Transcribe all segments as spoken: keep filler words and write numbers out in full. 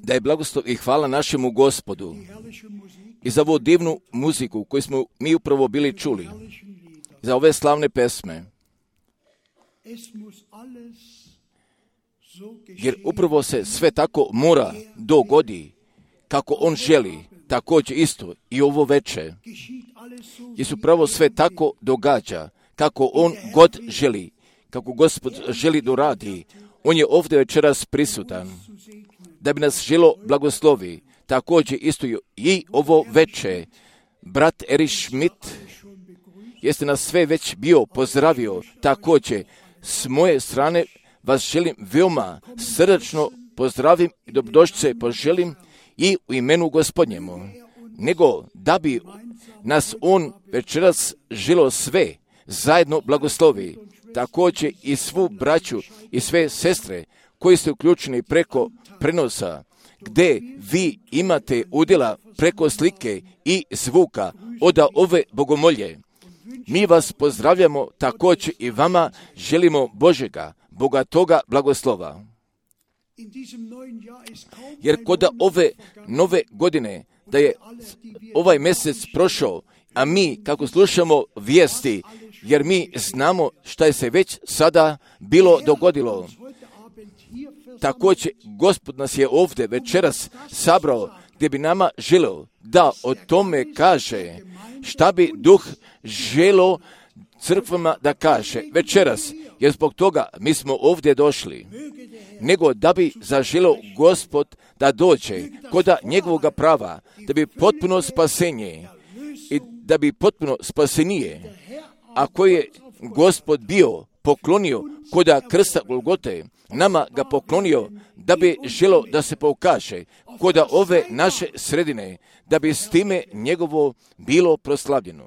Da je blagoslov i hvala našemu Gospodu i za ovu divnu muziku koju smo mi upravo bili čuli, za ove slavne pesme. Jer upravo se sve tako mora dogodi kako on želi, također isto i ovo veče. Jer se upravo sve tako događa kako on god želi, kako Gospod želi da radi. On je ovdje večeras prisutan da bi nas želo blagoslovi. Također isto i ovo veče. Brat Erich Schmidt jeste nas sve već bio pozdravio. Također s moje strane vas želim veoma srdačno pozdravim i dobrodošlice poželim i u imenu Gospodnjemu. Nego da bi nas on večeras želo sve zajedno blagoslovi. Također i svu braću i sve sestre koji ste uključeni preko prenosa, gdje vi imate udjela preko slike i zvuka od ove bogomolje. Mi vas pozdravljamo, također i vama želimo Božega, bogatoga blagoslova. Jer kod ove nove godine, da je ovaj mjesec prošao, a mi kako slušamo vijesti, jer mi znamo šta je se već sada bilo dogodilo. Također, Gospod nas je ovdje večeras sabrao, gdje bi nama želio da o tome kaže šta bi Duh želo crkvama da kaže večeras, jer zbog toga mi smo ovdje došli. Nego da bi zaželio Gospod da dođe koda njegovoga prava, da bi potpuno spasenje i da bi potpuno spasenije, a koje je Gospod bio poklonio koda krsta Golgote, nama ga poklonio da bi želo da se pokaže koda ove naše sredine, da bi s time njegovo bilo proslavljeno.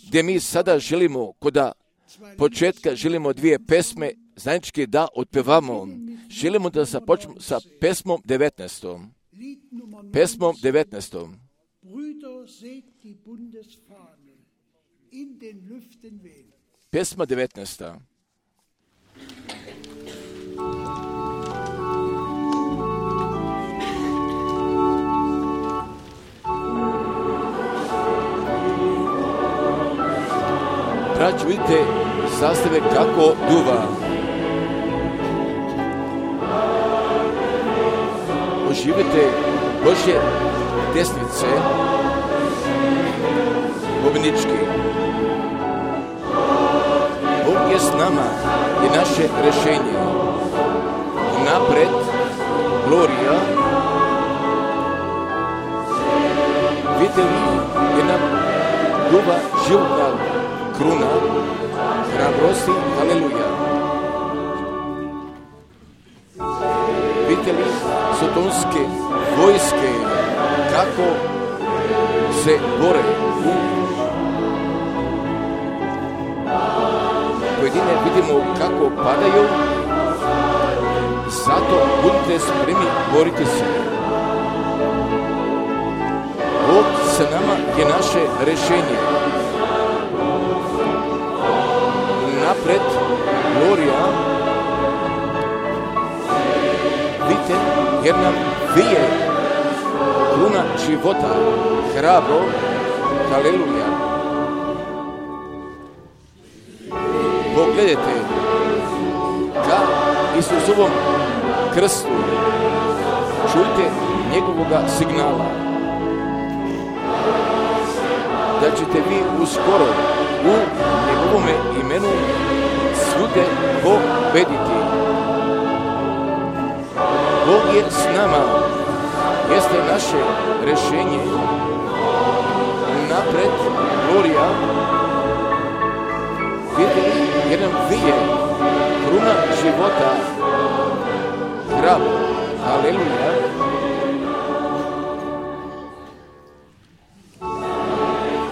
Gdje mi sada želimo, koda početka želimo dvije pesme zajednički da otpevamo. Želimo da započnemo sa pesmom devetnaestom. Pesmom devetnaestom. Pesma devetnaesta. Braćo, vidite zastave kako duva. Oživite Božje desnice pobjednički. Bog je s nama i naše rješenje. Napred, Glorija. Vidite li je nam duva životna kruna, hrabrosti, haleluja. Vidite li sotonske vojske kako se bore u pojedine vidimo kako padaju, zato budite spremni boriti se. Bog sa nama je naše rješenje. Napred, Glorija, vidite, jer nam vije kruna života, hrabro, haleluja. Pogledajte ka Isusovom krstu, čujte njegovoga signala, da ćete vi uskoro u njegovome imenu svude pobediti. Bog je s nama, jeste naše rješenje. Napred, Glorija, vidite jer nam vije kruna života, hrabro, haleluja.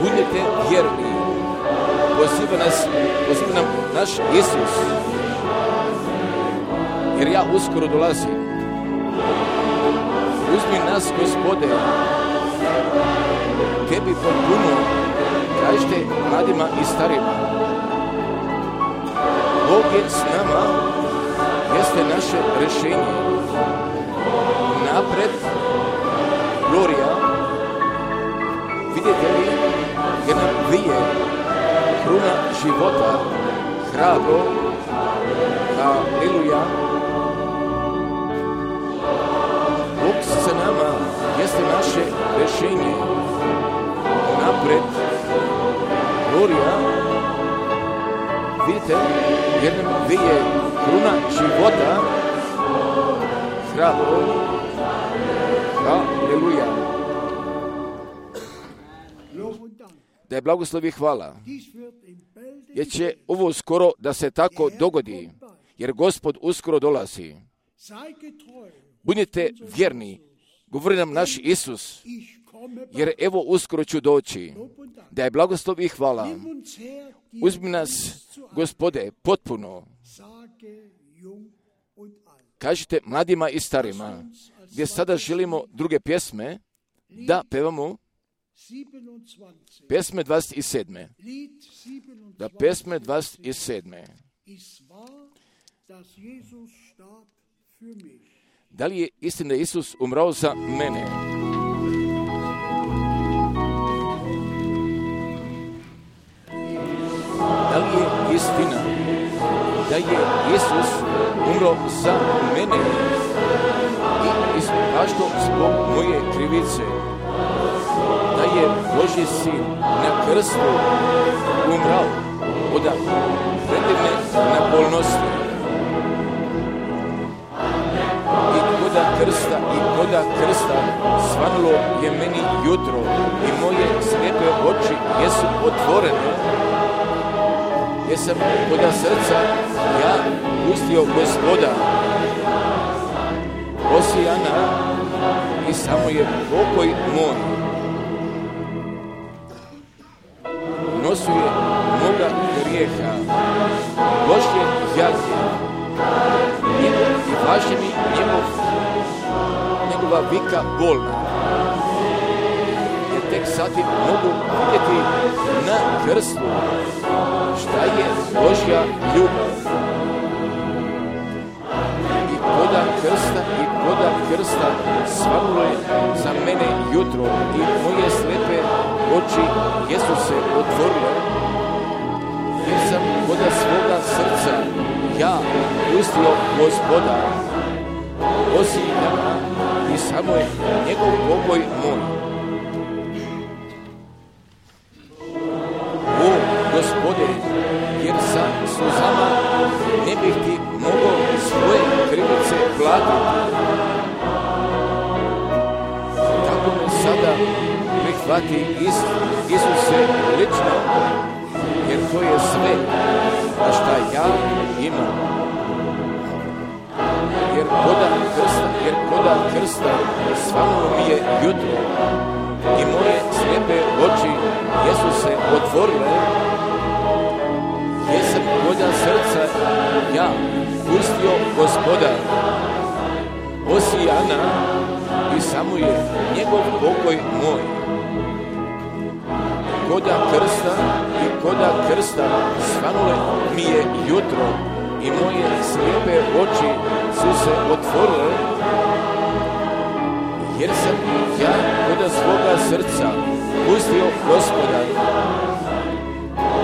Budite vjerni, poziva nas, poziva nam naš Isus, jer ja uskoro dolazim. Uzmi nas, Gospode, tebi potpuno, kažete mladima i starima. Bog je s nama, jeste naše rješenje. vidite li, jer nam vije kruna života, hrabro, haleluja. Bog sa nama jeste naše rješenje. Napred, glorija, vidite, jer nam vije kruna života, hrabro, haleluja. Da je blagoslov i hvala, jer će ovo skoro da se tako dogodi, jer Gospod uskoro dolazi. Budite vjerni, govori nam naš Isus, jer evo uskoro ću doći. Da je blagoslov i hvala. Uzmi nas, Gospode, potpuno. Kažite mladima i starima, gdje sada želimo druge pjesme, da pevamo pjesme dvadeset sedam. Da pjesme dvadeset sedam. Da li je istina da je Isus umrao za mene? Da li je istina da je Isus umro za mene i ispašto zbog moje krivice? Da je Božji sin na krstu umrao od predivne nabolnosti. I koda krsta, i koda krsta svanulo je meni jutro i moje slijepe oči jesu otvorene. Jesam koda srca ja pustio Gospoda. Osijana i samo je pokoj moj. Nosuje moga grijeha, Božje jake i, i važi mi njegov, njegova vika bolna. Jer tek sati mogu vidjeti na krstu šta je Božja ljubav. I koda krsta, i koda krsta svanulo je za mene jutro i moje slepe oči jesu se otvorile, jer sam koda svoga srca ja pustio Gospoda. Osijana i samo je njegov pokoj moj. O Gospode, jer sa suzama ne bih ti mogao svoje krivice platiti. Tako me sada prihvati Isuse lično, jer to je sve, a šta ja imam. Jer koda krsta, jer koda krsta svanulo mi je jutro i moje slijepe oči jesu se otvorile. Jesam koda srca ja pustio Gospoda. Osijana i samo je njegov pokoj moj. Koda krsta i koda krsta svanule mi je jutro i moje slijepe oči su se otvorile, jer sam ja koda svoga srca pustio Gospoda.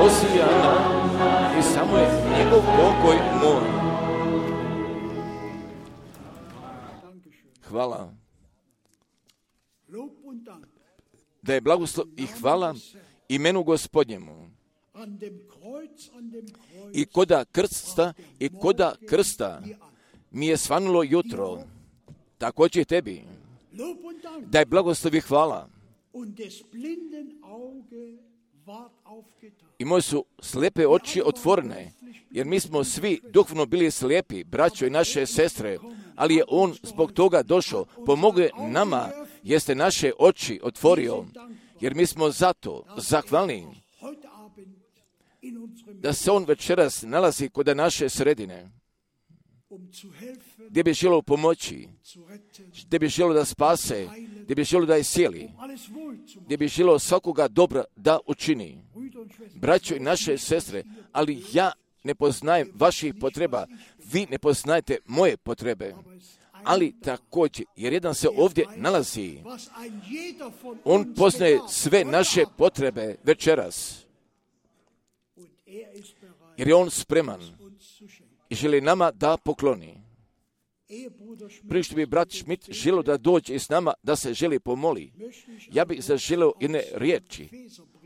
Osijana i samo je njegov pokoj moj. Hvala. Da je blagoslov i hvala imenu Gospodnjemu. I koda krsta, i koda krsta mi je svanulo jutro, također tebi. Da je blagoslov i hvala. I moje su slijepe oči otvorene, jer mi smo svi duhovno bili slijepi, braćo i naše sestre, ali je on zbog toga došao, pomogao nama, jeste naše oči otvorio, jer mi smo zato zahvalni da se on večeras nalazi kod naše sredine, gdje bi želio pomoći, gdje bi želio da spase, gdje bi želio da je cijeli, gdje bi želio svakoga dobra da učini. Braćo i naše sestre, ali ja ne poznajem vaših potreba, vi ne poznajete moje potrebe, ali također, jer jedan se ovdje nalazi, on poznaje sve naše potrebe večeras, jer je on spreman i želi nama da pokloni. Prije što bi brat Schmidt želio da dođe s nama, da se želi pomoli, ja bih zaželio jedne riječi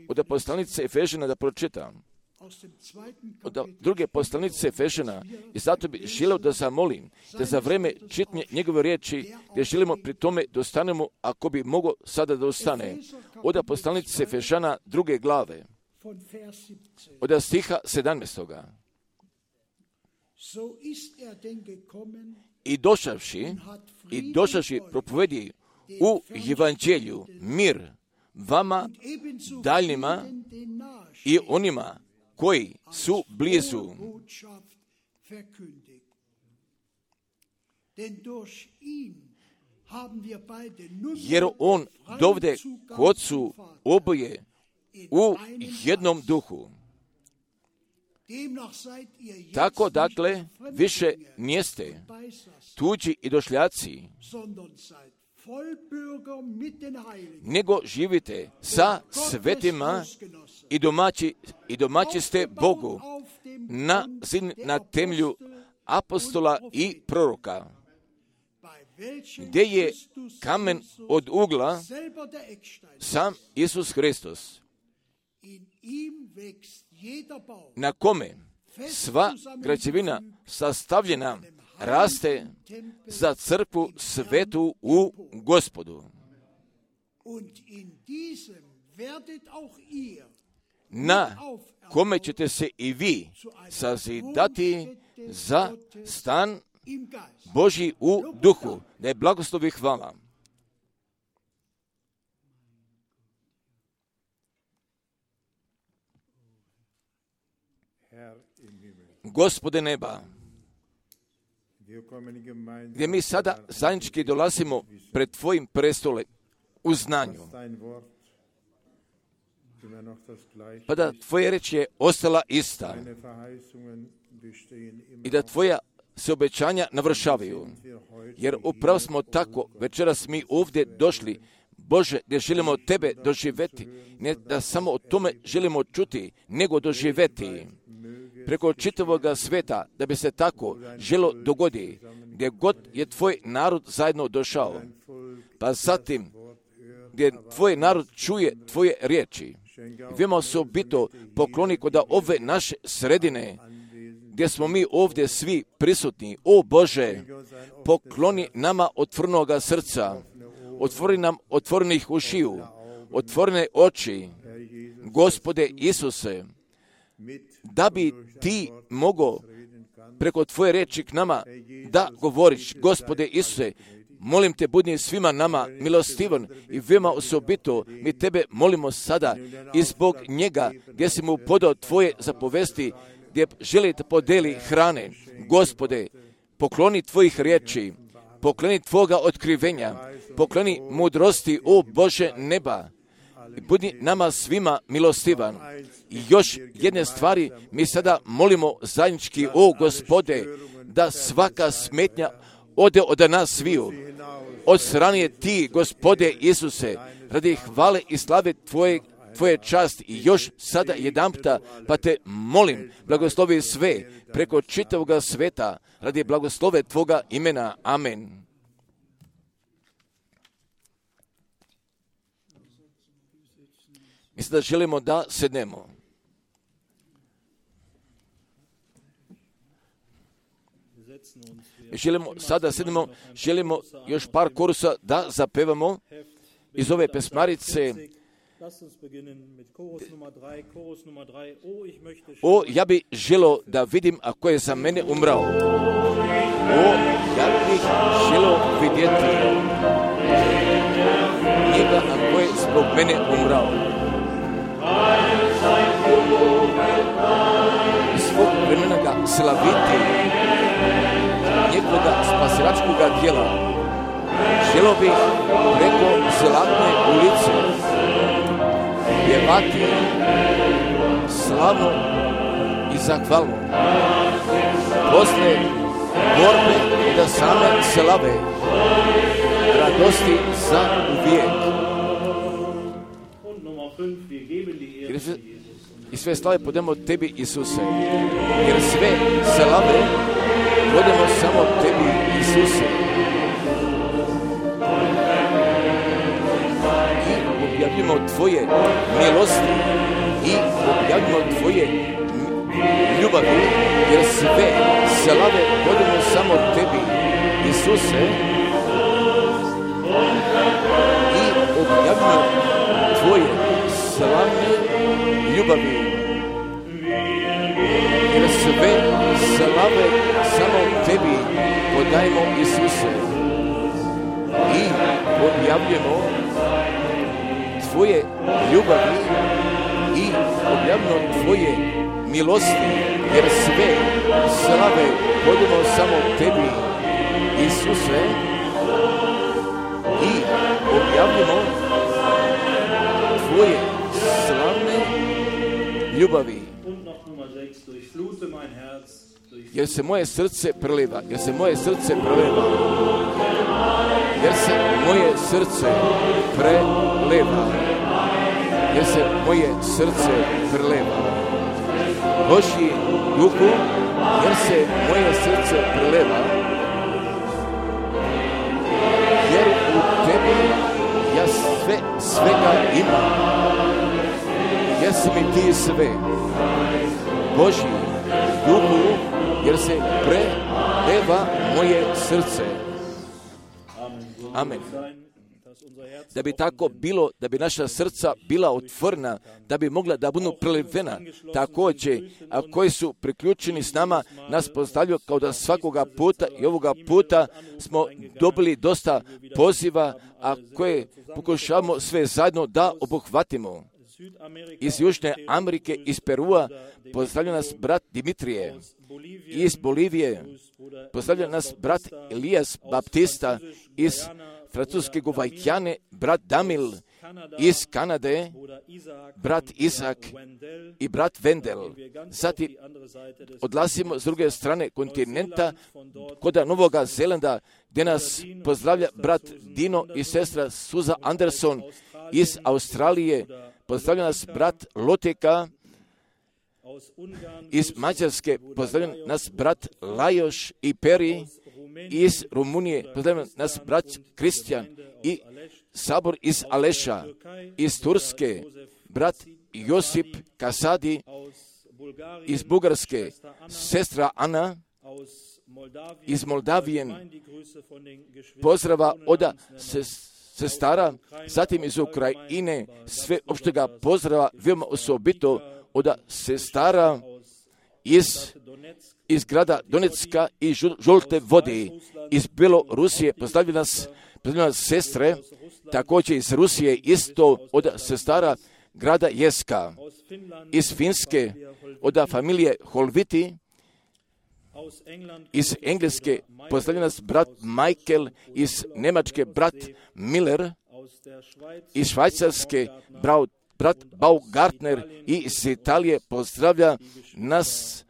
od poslanice Efežana da pročitam. Od druge poslanice Efežana, i zato bih želio da zamolim, da za vreme čitanja njegove riječi, gdje želimo pri tome da ostanemo, ako bi mogo sada da ostane. Od poslanice Efežana druge glave, od stiha sedamnaestoga. I došavši, i došavši propovedi u evanđelju mir vama daljnjima i onima koji su blizu. Jer on dovde kod su oboje u jednom duhu. Tako dakle, više nijeste tuđi i došljaci, nego živite sa svetima i domaći, i domaći ste Bogu na, na temelju apostola i proroka, gdje je kamen od ugla sam Isus Hristos, na kome sva građevina sastavljena raste za crkvu svetu u Gospodu. Na kome ćete se i vi sazidati za stan Božji u duhu. Da je blagoslovi hvala. Gospode neba, gdje mi sada zajednički dolazimo pred Tvojim prestolom u znanju, pa da Tvoja reč je ostala ista i da Tvoja se obećanja navršavaju, jer upravo smo tako večeras mi ovdje došli, Bože, gdje želimo Tebe doživjeti, ne da samo o tome želimo čuti, nego doživjeti preko čitavog sveta, da bi se tako želo dogodi, gdje god je Tvoj narod zajedno došao, pa zatim gdje Tvoj narod čuje Tvoje riječi. Vima osobito pokloni kod ove naše sredine, gdje smo mi ovdje svi prisutni. O Bože, pokloni nama otvornoga srca, otvori nam otvorenih ušiju, otvorene oči, Gospode Isuse, da bi Ti mogao preko Tvoje riječi k nama da govoriš. Gospode Isuse, molim Te, budi svima nama milostivan i veoma osobito mi Tebe molimo sada i zbog njega gdje si mu podao Tvoje zapovesti, gdje želi da podeli hrane. Gospode, pokloni Tvojih riječi, pokloni Tvoga otkrivenja, pokloni mudrosti, o Bože neba, i budi nama svima milostivan. I još jedne stvari mi sada molimo zajednički, o Gospode, da svaka smetnja ode od nas sviju. Od strane Ti, Gospode Isuse, radi hvale i slave Tvoje, Tvoje časti. I još sada jedanputa, pa Te molim, blagoslovi sve preko čitavog sveta, radi blagoslove Tvoga imena. Amen. Mislim da želimo da sednemo. Želimo, sada sednemo, želimo još par korusa da zapevamo iz ove pesmarice. O, ja bih želio da vidim ako je za mene umrao. O, ja bih želio vidjeti njega ako je zbog mene umrao. Svog vremena ga slaviti, njegovoga spasilačkoga djela. Želio bih preko zlatne ulice pjevati slavno i zahvalno. Posle borbe da same slave, radosti za uvijek. I sve slave podemo tebi, Isuse, jer sve slave podemo samo tebi, Isuse. I objavljamo tvoje milosti i objavljamo tvoje ljubavi, jer sve slave podemo samo tebi, Isuse. I objavljamo tvoje slavne ljubavi, jer sve slave samo tebi podajemo, Isuse. I objavljamo tvoje ljubavi i objavljamo tvoje milosti, jer sve slave podajemo samo tebi, Isuse. I objavljamo tvoje slavne ljubavi, jer se moje srce preliva, jer se moje srce preliva, jer se moje srce preliva, jer se moje srce preliva. Božji duhu, jer se moje srce preliva, jer u tebi ja sve, svega imam, jer si mi ti sve. Božji duhu, jer se preleva moje srce. Amen. Da bi tako bilo, da bi naša srca bila otvorena, da bi mogla da budu prelivena. Također, a koji su priključeni s nama, nas postavljaju kao da svakoga puta i ovoga puta smo dobili dosta poziva, a koje pokušavamo sve zajedno da obuhvatimo. Iz Južne Amerike, iz Perua, pozdravlja nas brat Dimitrije. Iz Bolivije pozdravlja nas brat Elijas Baptista. Iz Francuske Guvajkjane brat Damil. Iz Kanade brat Izak i brat Vendel. Zatim odlazimo s druge strane kontinenta kod Novoga Zelanda, gdje nas pozdravlja brat Dino i sestra Suza Anderson. Iz Australije pozdravlja nas brat Loteka. Iz Mađarske pozdravlja nas brat Lajoš i Peri. Iz Rumunije pozdravlja nas brat Kristijan i Sabor iz Aleša. Iz Turske brat Josip Kasadi. Iz Bugarske sestra Ana. Iz Moldavijen pozdrava od sestara, zatim iz Ukrajine sve opštega pozdrava, veoma osobito od sestara iz, iz grada Donecka i Žulte vode. Iz Belorusije pozdravljaju nas, pozdravljaju nas sestre, također iz Rusije isto od sestara grada Jeska. Iz Finske od familije Holviti. Iz Engleske pozdravlja nas brat Michael, iz Njemačke brat Miller, iz Švajcarske brat, brat Baumgartner i iz Italije pozdravlja nas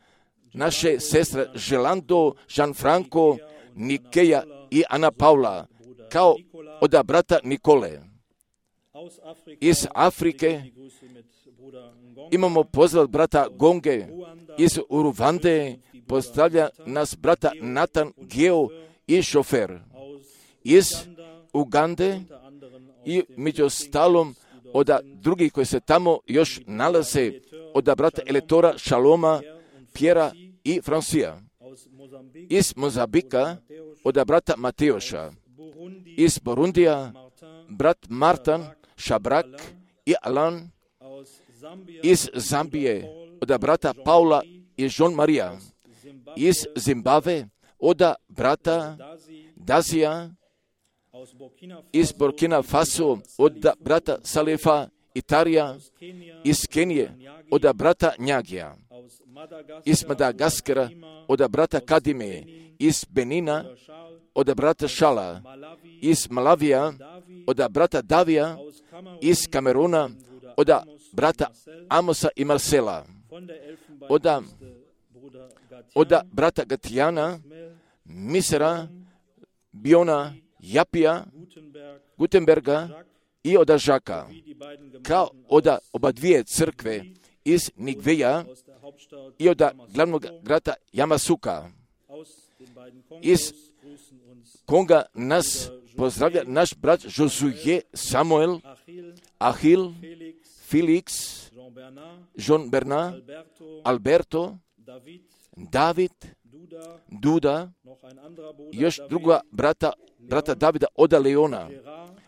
naše sestre Želando, Gianfranco, Nikeja i Ana Paula, kao od brata Nikole. Iz Afrike imamo pozdrav brata Gonge. Iz Uruvande pozdravlja nas brata Nathan Geo i šofer. Iz Ugande i među ostalom od drugih koji se tamo još nalaze, od brata Eletora, Šaloma, Pjera i Fransija. Iz Mozambika od brata Mateoša. Iz Burundija brat Martan, Šabrak i Alan. Iz Zambije od brata Paula i Jean Maria. Iz Zimbabve od brata Dazija. Iz Burkina Faso od brata Salefa Itarija. Iz Kenije od brata Njagija. Iz Madagaskara od brata Kadime. Iz Benina od brata Šala. Iz Malavija od brata Davija. Iz Kameruna od brata Amosa i Marcela. Od, od brata Gatijana Misera, Biona, Japija, Gutenberga i od Žaka, kao od oba dvije crkve iz Nigveja i od glavnog grada Jamasuka, iz koga nas pozdravlja naš brat Josue Samuel, Ahil, Felix, Jean Bernard, Alberto, David, Duda, još druga brata, brata Davida od Leona,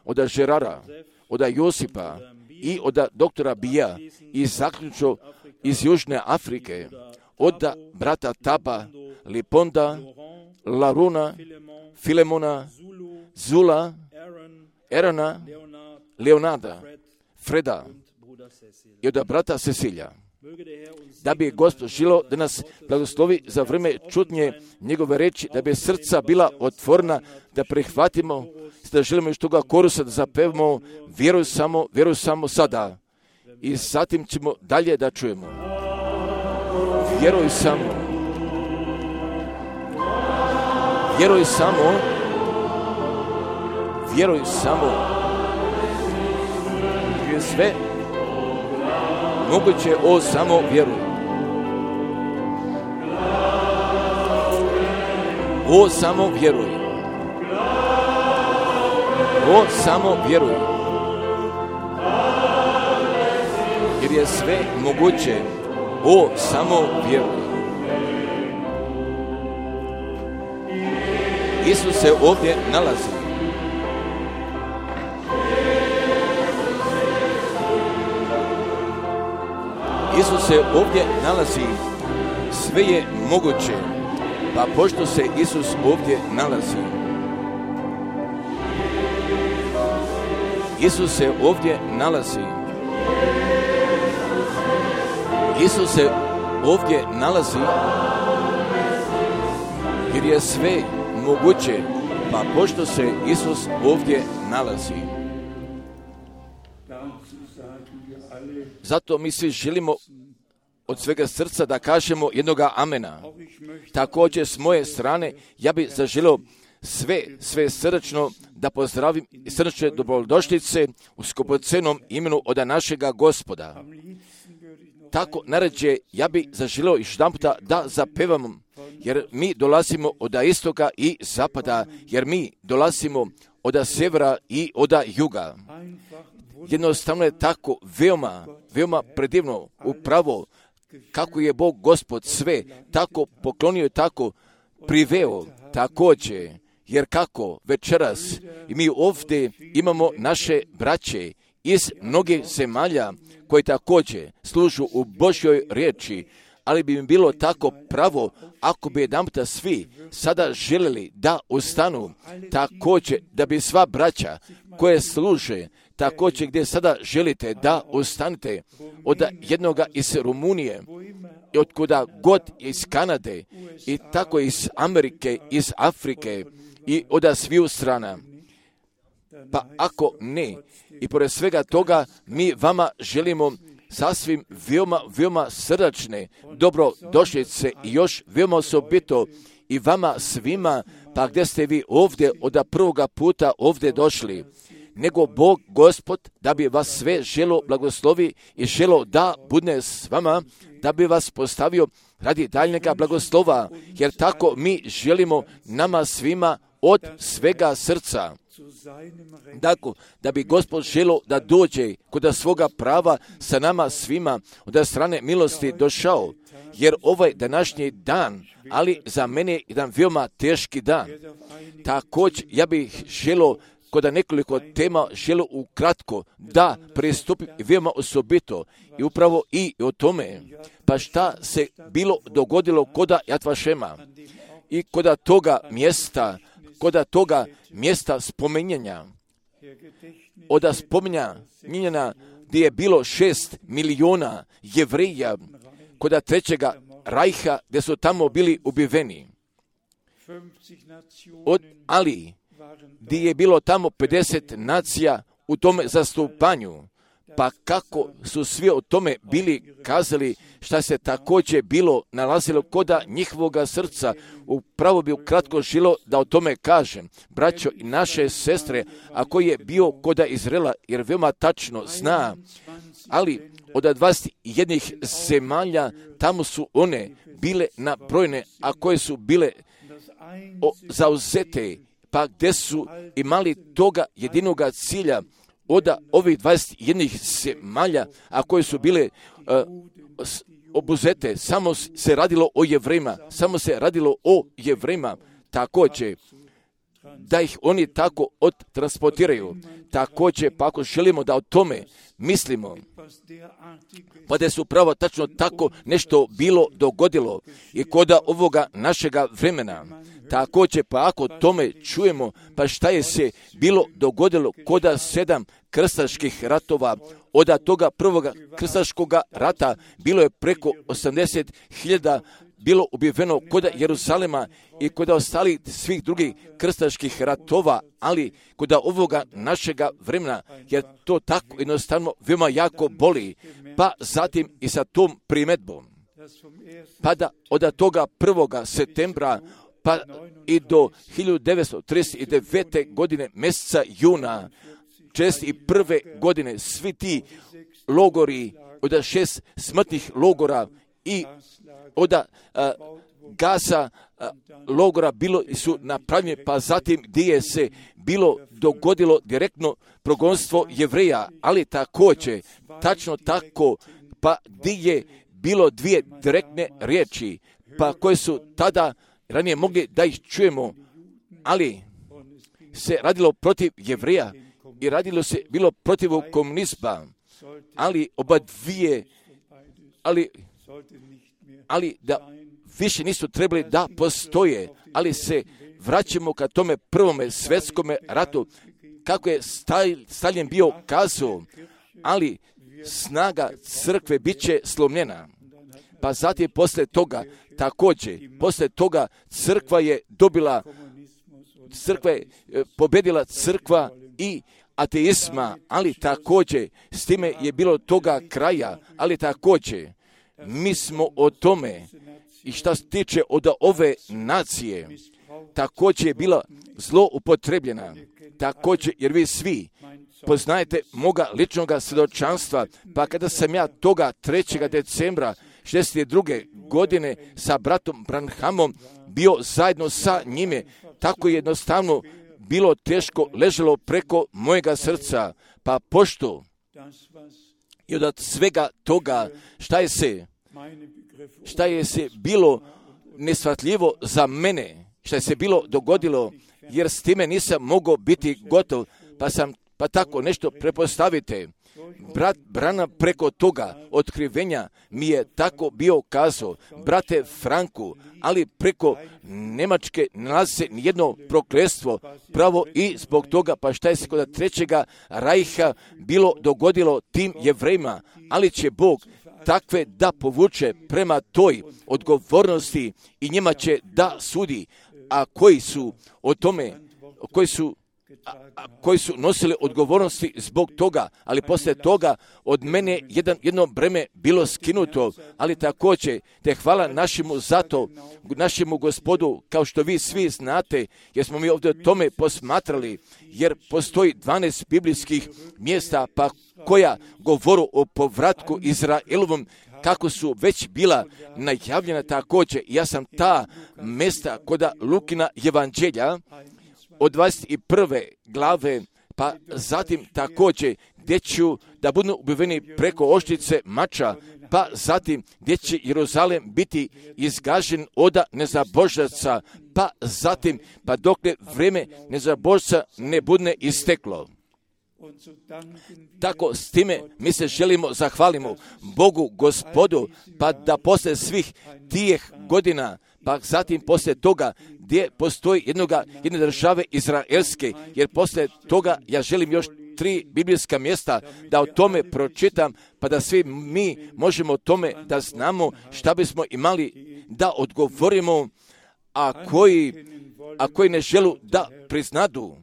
od Žerara, od Josipa i od doktora Bija i zaključno iz Južne Afrike, od brata Taba, Liponda, Laruna, Filemona, Zula, Erona, Leonarda, Freda i od brata Cecilija. Da bi Gospod želio da nas blagoslovi za vrijeme čutnje njegove reči, da bi srca bila otvorena, da prihvatimo, da želimo još toga korusa da zapevamo, vjeruj samo, vjeruj samo sada. I zatim ćemo dalje da čujemo. Vjeruj samo. Vjeruj samo. Vjeruj samo. Je sve moguće, o, samo vjeruj. O, samo vjeruj. O, samo vjeruj. Jer je sve moguće. O, samo vjeruj. Isus se ovdje nalazi. Isus se ovdje nalazi. Sve je moguće. Pa pošto se Isus ovdje nalazi, Isus se ovdje nalazi. Isus se ovdje nalazi, jer je sve moguće, pa pošto se Isus ovdje nalazi. Zato mi svi želimo od svega srca da kažemo jednoga amena. Također s moje strane ja bih zaželio sve, sve srdačno da pozdravim srdačne dobrodošlice u skupocenom imenu od našega Gospoda. Tako naređe ja bih zaželio još jedan puta da zapevamo, jer mi dolazimo od istoka i zapada, jer mi dolazimo od sjevera i od juga. Jednostavno je tako veoma, veoma predivno, upravo kako je Bog Gospod sve tako poklonio i tako priveo također, jer kako večeras i mi ovdje imamo naše braće iz mnogih zemalja koji također služu u Božjoj riječi, ali bi mi bilo tako pravo ako bi jedanputa svi sada željeli da ustanu, također da bi sva braća koje služe, također gdje sada želite da ustanete, od jednoga iz Rumunije, i od kuda god iz Kanade, i tako iz Amerike, iz Afrike, i od sviju strana. Pa ako ne, i pored svega toga, mi vama želimo sasvim veoma, veoma srdačne dobrodošlice i još veoma osobito i vama svima, pa gdje ste vi ovdje od prvoga puta ovdje došli, nego Bog Gospod da bi vas sve želo blagoslovi i želo da bude s vama, da bi vas postavio radi daljnjega blagoslova, jer tako mi želimo nama svima od svega srca. Tako, da bi Gospod želo da dođe kod svoga prava sa nama svima od strane milosti došao, jer ovaj današnji dan, ali za mene je jedan veoma teški dan. Također, ja bih želo kod nekoliko tema želo ukratko da pristupim veoma osobito i upravo i o tome, pa šta se bilo dogodilo koda Jad Vašema i koda toga mjesta, koda toga mjesta spominjanja, od spominjanja gdje je bilo šest miliona Jevrija, koda trećega rajha gdje su tamo bili ubiveni. Od, ali gdje je bilo tamo pedeset nacija u tome zastupanju, pa kako su svi o tome bili kazali, šta se također bilo nalazilo koda njihovoga srca. Upravo bi ukratko žilo da o tome kažem. Braćo i naše sestre, ako je bio koda Izraela, jer veoma tačno zna, ali od dvadeset jednih zemalja tamo su one bile nabrojene, a koje su bile o, zauzete, pa gdje su imali toga jedinoga cilja od ovih dvadeset jednih zemalja, a koje su bile uh, obuzete, samo se radilo o Jevrejima, samo se radilo o Jevrejima, također da ih oni tako odtransportiraju. Također, pa ako želimo da o tome mislimo, pa da su pravo tačno tako nešto bilo dogodilo i koda ovoga našega vremena. Također, pa ako tome čujemo, pa šta je se bilo dogodilo koda sedam krstaških ratova, od toga prvoga krstaškoga rata bilo je preko osamdeset hiljada bilo ubijeno koda Jeruzalema i koda ostali svih drugih krstaških ratova, ali koda ovoga našega vremena, jer to tako jednostavno veoma jako boli, pa zatim i sa tom primedbom. Pa da od toga prvoga septembra pa i do hiljadu devetsto trideset devete. godine mjeseca juna četrdeset prve. godine svi ti logori od šest smrtnih logora i od a, Gaza a, logora bilo su napravljeni, pa zatim gdje je se bilo dogodilo direktno progonstvo Jevreja, ali također tačno tako, pa gdje je bilo dvije direktne riječi, pa koje su tada ranije mogli da ih čujemo, ali se radilo protiv Jevreja i radilo se bilo protiv komunizma, ali oba dvije, ali, ali da više nisu trebali da postoje, ali se vraćamo ka tome prvome svjetskome ratu, kako je Stalin bio kazao, ali snaga crkve bit će slomljena. Pa zatim poslije toga, također, poslije toga crkva je dobila, crkva je pobjedila crkva i ateizma, ali također s time je bilo toga kraja, ali također mi smo o tome i šta se tiče od ove nacije, također je bila zlo upotrebljena, također jer vi svi poznajete moga ličnoga svjedočanstva, pa kada sam ja toga trećeg decembra šezdeset druge. godine sa bratom Branhamom bio zajedno sa njime, tako jednostavno bilo teško leželo preko mojega srca, pa pošto i od svega toga šta je se, šta je se bilo nesvatljivo za mene, šta je se bilo dogodilo, jer s time nisam mogao biti gotov, pa sam, pa tako nešto prepostavite. Brat Brana preko toga otkrivenja mi je tako bio kazao, brate Franku, ali preko Njemačke nalazi se nijedno prokletstvo, pravo i zbog toga, pa šta je se kod trećega rajha bilo dogodilo tim Jevrejima, ali će Bog takve da povuče prema toj odgovornosti i njima će da sudi, a koji su o tome, koji su A, a, koji su nosili odgovornosti zbog toga, ali poslije toga od mene jedan, jedno breme bilo skinuto, ali također te hvala našemu zato, našemu Gospodu, kao što vi svi znate, jer smo mi ovdje o tome posmatrali, jer postoji dvanaest biblijskih mjesta, pa koja govoru o povratku Izraelovom, kako su već bila najavljena također. Ja sam ta mjesta koda Lukina evanđelja, od dvadeset prve. glave, pa zatim također gdje ću da budu ubiveni preko oštrice mača, pa zatim gdje će Jeruzalem biti izgažen od nezabožaca, pa zatim, pa dokle vrijeme nezabožca ne bude isteklo. Tako s time mi se želimo zahvalimo Bogu Gospodu, pa da poslije svih tih godina, pa zatim poslije toga gdje postoji jednoga, jedne države izraelske, jer poslije toga ja želim još tri biblijska mjesta da o tome pročitam, pa da svi mi možemo o tome da znamo šta bismo imali da odgovorimo, a koji, a koji ne želu da priznadu,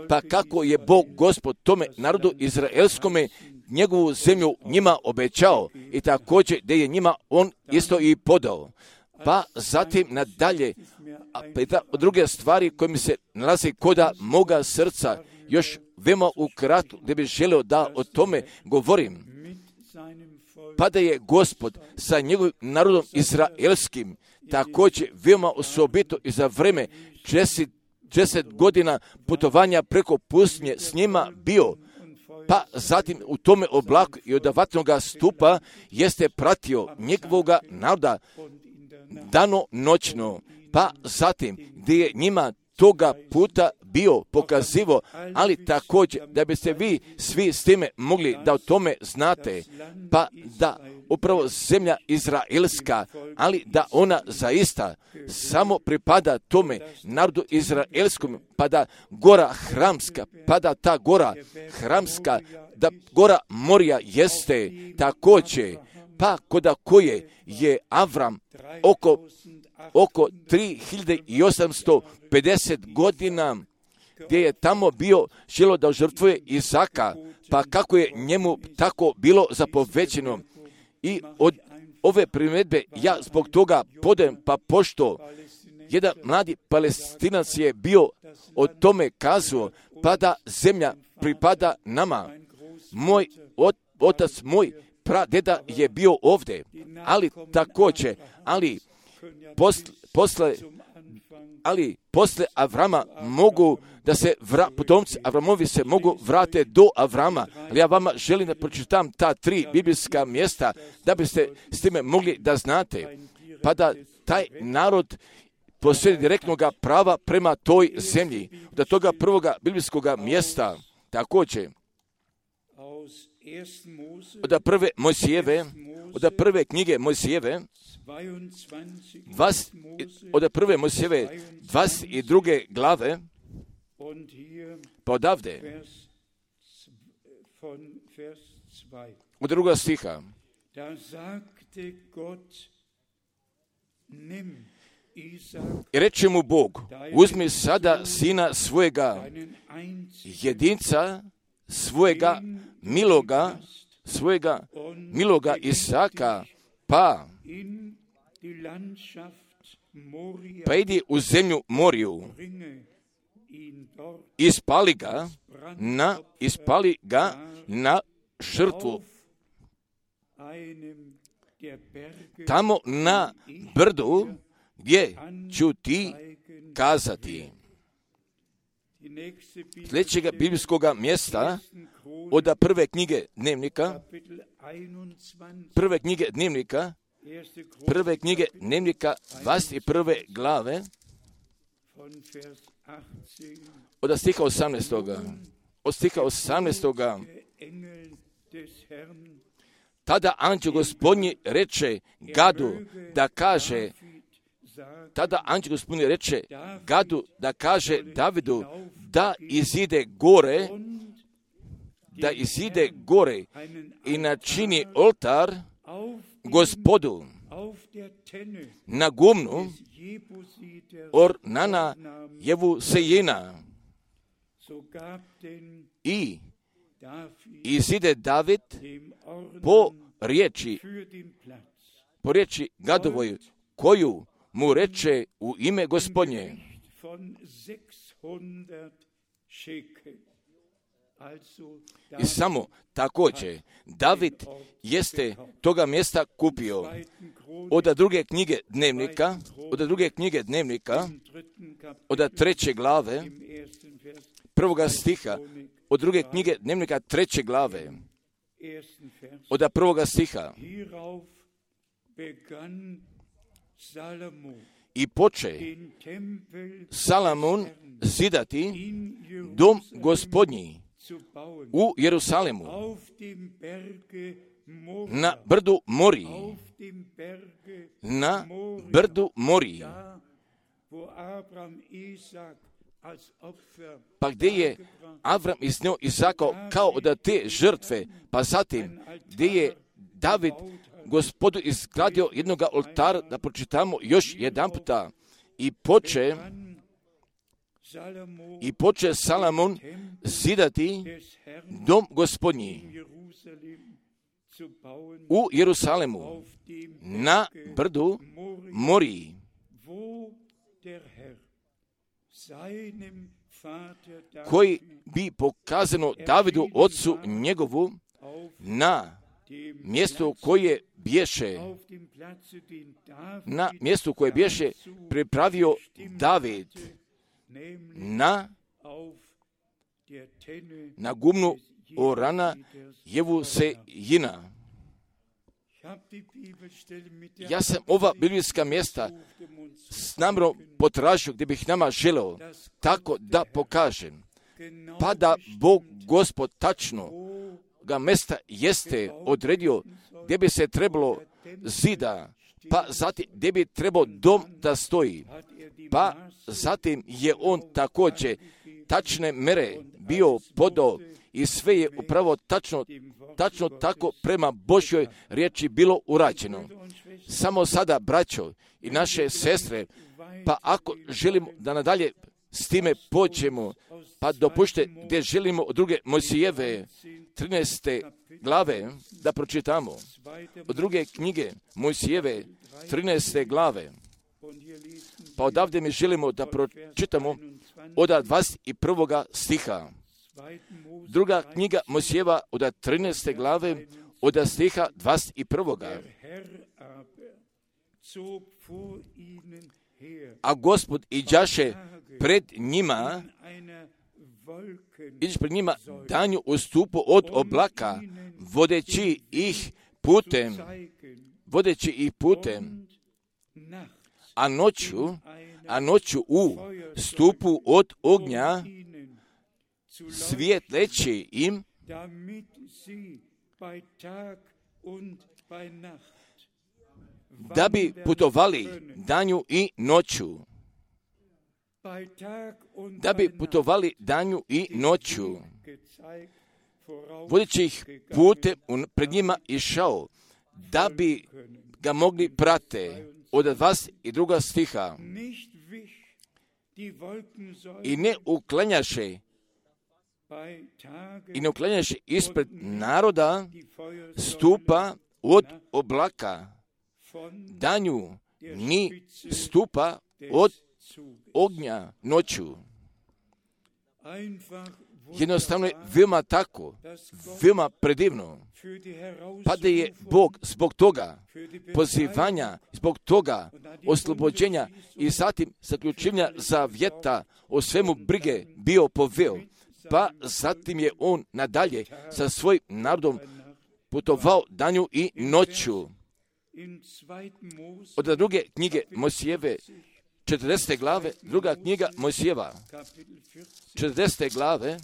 pa kako je Bog Gospod tome narodu izraelskome njegovu zemlju njima obećao i također da je njima on isto i podao. Pa zatim nadalje, a druge stvari koje mi se nalazi koda moga srca, još veoma ukratko da bih želio da o tome govorim. Pa da je Gospod sa njegovim narodom izraelskim također veoma osobito i za vreme deset godina putovanja preko pustinje s njima bio, pa zatim u tome oblaku i od vatnoga stupa jeste pratio njegovoga naroda dano noćno, pa zatim gdje je njima toga puta bio pokazivo, ali također da biste vi svi s time mogli da o tome znate, pa da upravo zemlja izraelska, ali da ona zaista samo pripada tome narodu izraelskom, pa da gora Hramska, pa da ta gora Hramska, da gora Morija jeste također, pa koda koje je Avram oko, oko tri hiljade osamsto pedeset godina, gdje je tamo bio želio da žrtvuje Izaka, pa kako je njemu tako bilo zapovećeno. I od ove primjedbe ja zbog toga podajem, pa pošto jedan mladi Palestinac je bio o tome kazao, pa da zemlja pripada nama. Moj ot, otac, moj pradeda je bio ovdje, ali također, ali posle, posle ali posle Avrama mogu da se vra, potomci Avramovi se mogu vrate do Avrama. Ali ja vama želim da pročitam ta tri biblijska mjesta da biste s time mogli da znate, pa da taj narod posjedi direktnog prava prema toj zemlji. Od toga prvoga biblijskog mjesta također od prve Mojsijeve, od prve knjige Mojsijeve, Vas, od prve Mojsijeve dvadeset druge glave, pa odavde, od druga stiha, i reče mu Bog, uzmi sada sina svojega jedinca, svojega miloga, svojega miloga Isaka, pa pa idi u zemlju Moriju, ispali ga na, ispali ga na žrtvu. Tamo na brdu gdje ću ti kazati. Sljedećega biblijskog mjesta od prve knjige dnevnika, prve knjige dnevnika, prve knjige dnevnika dvadeset prve glave, od stiha osamnaestog. Od stiha osamnaestog. Tada anđeo Gospodnji reče Gadu da kaže, tada anđeo Gospodnji reče Gadu da kaže Davidu da izide gore, da izide gore i načini oltar Gospodu na gumnu Ornana Jebusejina. I izide David po riječi, po riječi Gadovoj, koju mu reče u ime Gospodnje. I samo također David jeste toga mjesta kupio. Od druge knjige dnevnika, od druge knjige dnevnika, od treće glave, prvoga stiha, od druge knjige dnevnika treće glave, od prvoga stiha. I poče Salomon zidati dom Gospodnji u Jerusalemu, na brdu Moriji, na brdu Moriji, pa gdje je Avram iznio Izaka kao od te žrtve, pa zatim gdje je David Gospodu izgradio jednog oltara, da pročitamo još jedan puta, i poče i poče Salomon zidati dom Gospodnji u Jerusalemu, na brdu Moriji, koji bi pokazano Davidu, ocu njegovu, na mjesto koje bješe, na mjestu koje bješe pripravio David, na, na gumnu orana Jevusejina. Ja sam ova biblijska mjesta s namjerom potražio gdje bih nama želeo tako da pokažem, pa da Bog Gospod tačno ga mjesta jeste odredio gdje bi se trebalo zida, pa zatim gdje bi trebao dom da stoji, pa zatim je on također tačne mere bio podao i sve je upravo tačno, tačno tako prema Božjoj riječi bilo urađeno. Samo sada, braćo i naše sestre, pa ako želimo da nadalje s time pođemo, pa dopušte gdje želimo od druge Mojsijeve trinaeste glave da pročitamo. Od druge knjige Mojsijeve trinaeste glave. Pa odavde mi želimo da pročitamo od dvadeset prvog stiha. Druga knjiga Mojsijeva od trinaeste glave od stiha dvadeset prvog. A Gospod iđaše pred njima, iđe pred njima danju u stupu od oblaka, vodeći ih putem, vodeći ih putem, a noću, a noću u stupu od ognja, svijetleći im, da bi putovali danju i noću. Da bi putovali danju i noću. Vodeći ih putem pred njima išao, da bi ga mogli prate. Od dvadeset drugog stiha. I ne uklanjaše i ne uklanjaše ispred naroda stupa od oblaka, danju ni stupa od ognja noću. Jednostavno je veoma tako, veoma predivno, pa da je Bog zbog toga pozivanja, zbog toga oslobođenja i zatim zaključivanja zavjeta o svemu brige bio poveo, pa zatim je on nadalje sa svojim narodom putovao danju i noću. Od druge knjige Mojsijeve, četrdesete glave, druga knjiga Mojsijeva, četrdesete glave,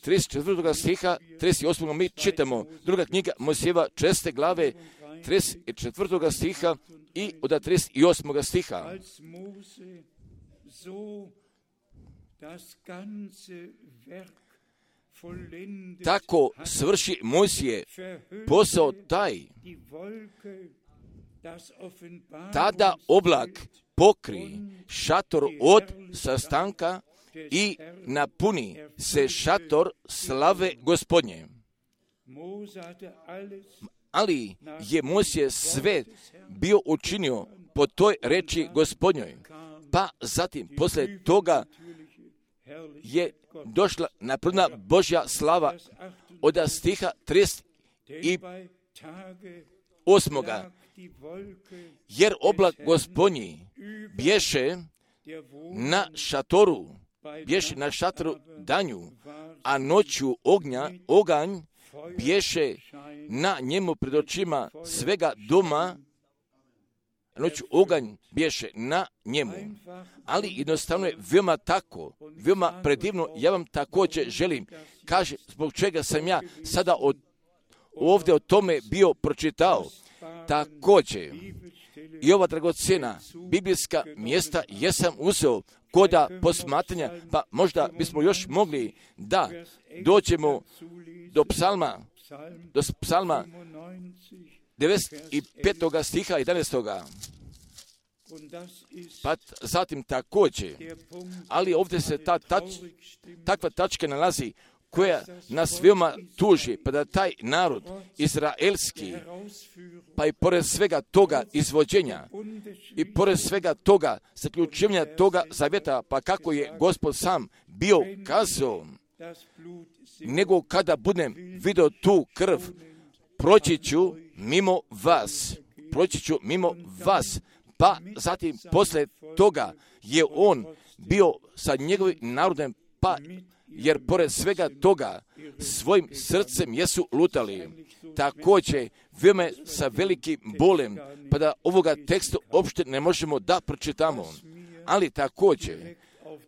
trideset četvrtog stiha, trideset osmog mi čitamo, druga knjiga Mojsijeva, četrdesete glave, trideset četvrtog stiha i od trideset osmog stiha. Tako svrši Mojsije posao taj, tada oblak pokri šator od sastanka i napuni se šator slave Gospodnje. Ali je Mojsije sve bio učinio po toj reči Gospodnjoj, pa zatim poslije toga je došla napredna Božja slava od stiha trideset osmoga. Jer oblak Gospodnji bješe na šatoru, bješe na šatoru danju, a noću ognja, oganj bješe na njemu pred očima svega doma, noću oganj bješe na njemu. Ali jednostavno je veoma tako, veoma predivno. Ja vam također želim, kaže, zbog čega sam ja sada od, ovdje o tome bio pročitao. Također, i ova dragocjena biblijska mjesta jesam uzeo koda posmatranja, pa možda bismo još mogli da dođemo do psalma, do psalma devedeset petog stiha jedanaestog. Pa zatim također, ali ovdje se ta tač, takva tačka nalazi koja nas veoma tuži, pa da taj narod izraelski, pa i pored svega toga izvođenja i pored svega toga zaključivanja toga zavjeta, pa kako je Gospod sam bio kazao, nego kada budem vidio tu krv, proći ću mimo vas, proći ću mimo vas, pa zatim posle toga je on bio sa njegovim narodom, pa jer pored svega toga svojim srcem jesu lutali. Također, veoma sa velikim bolem, pa da ovoga teksta uopšte ne možemo da pročitamo. Ali također,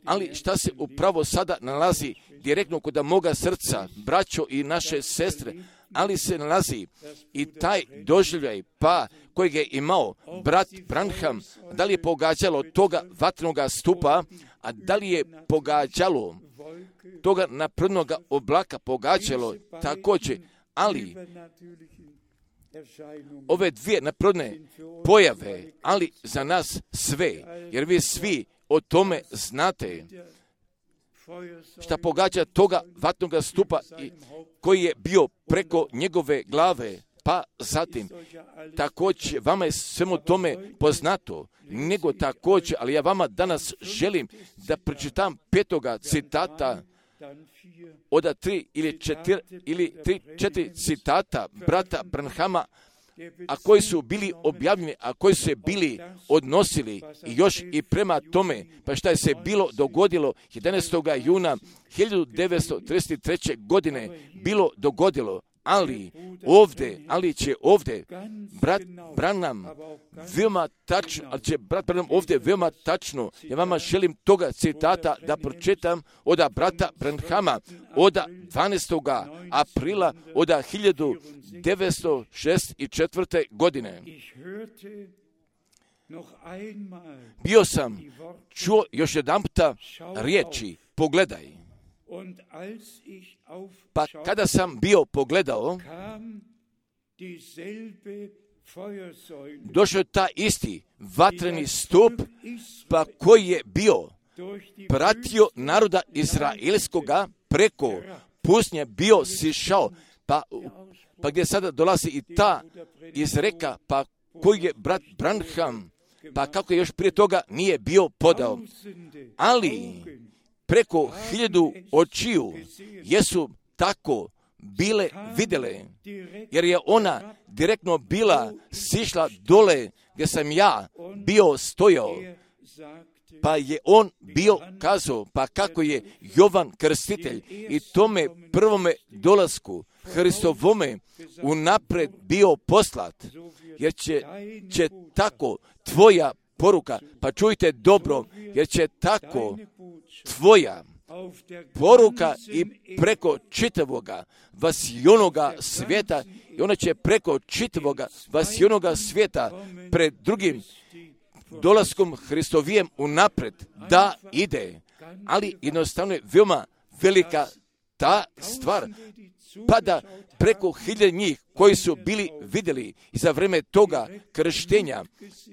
ali šta se upravo sada nalazi direktno kod moga srca, braćo i naše sestre, ali se nalazi i taj doživljaj, pa kojeg je imao brat Branham, da li je pogađalo toga vatrenoga stupa, a da li je pogađalo toga naprednog oblaka, pogađalo također, ali ove dvije napredne pojave, ali za nas sve, jer vi svi o tome znate, šta pogađa toga vatnoga stupa i koji je bio preko njegove glave, pa zatim također vama je svemu tome poznato, nego također, ali ja vama danas želim da pročitam petoga citata od tri ili četiri, ili tri, četiri citata brata Branhama, a koji su bili objavljeni, a koji su se bili odnosili i još i prema tome, pa šta je se bilo dogodilo jedanaestog juna hiljadu devetsto trideset treće. godine bilo dogodilo, ali ovdje, ali će ovdje brat Branham veoma tačno, ali će brat Branham ovdje veoma tačno, ja vama želim toga citata da pročitam od brata Branhama od dvanaestog aprila od hiljadu devetsto šezdeset četvrte. godine. Bio sam čuo još jedan puta riječi, pogledaj. Pa kada sam bio pogledao, došao je ta isti vatreni stup, pa koji je bio pratio naroda izraelskoga preko pustinje, bio sišao, pa, pa gdje sada dolazi i ta izreka, pa koji je brat Branham, pa kako je još prije toga nije bio podao. Ali preko hiljadu očiju jesu tako bile vidjele, jer je ona direktno bila sišla dole gdje sam ja bio stojao, pa je on bio kazao, pa kako je Jovan Krstitelj i tome prvome dolasku Hristovome unapred bio poslat, jer će, će tako tvoja poruka, pa čujte dobro, jer će tako tvoja poruka i preko čitavoga vasijonoga svijeta, i ona će preko čitavoga vasijonoga svijeta pred drugim dolaskom Hristovijem unapred da ide, ali jednostavno je veoma velika ta stvar, pa da preko hiljade njih koji su bili vidjeli i za vrijeme toga krštenja,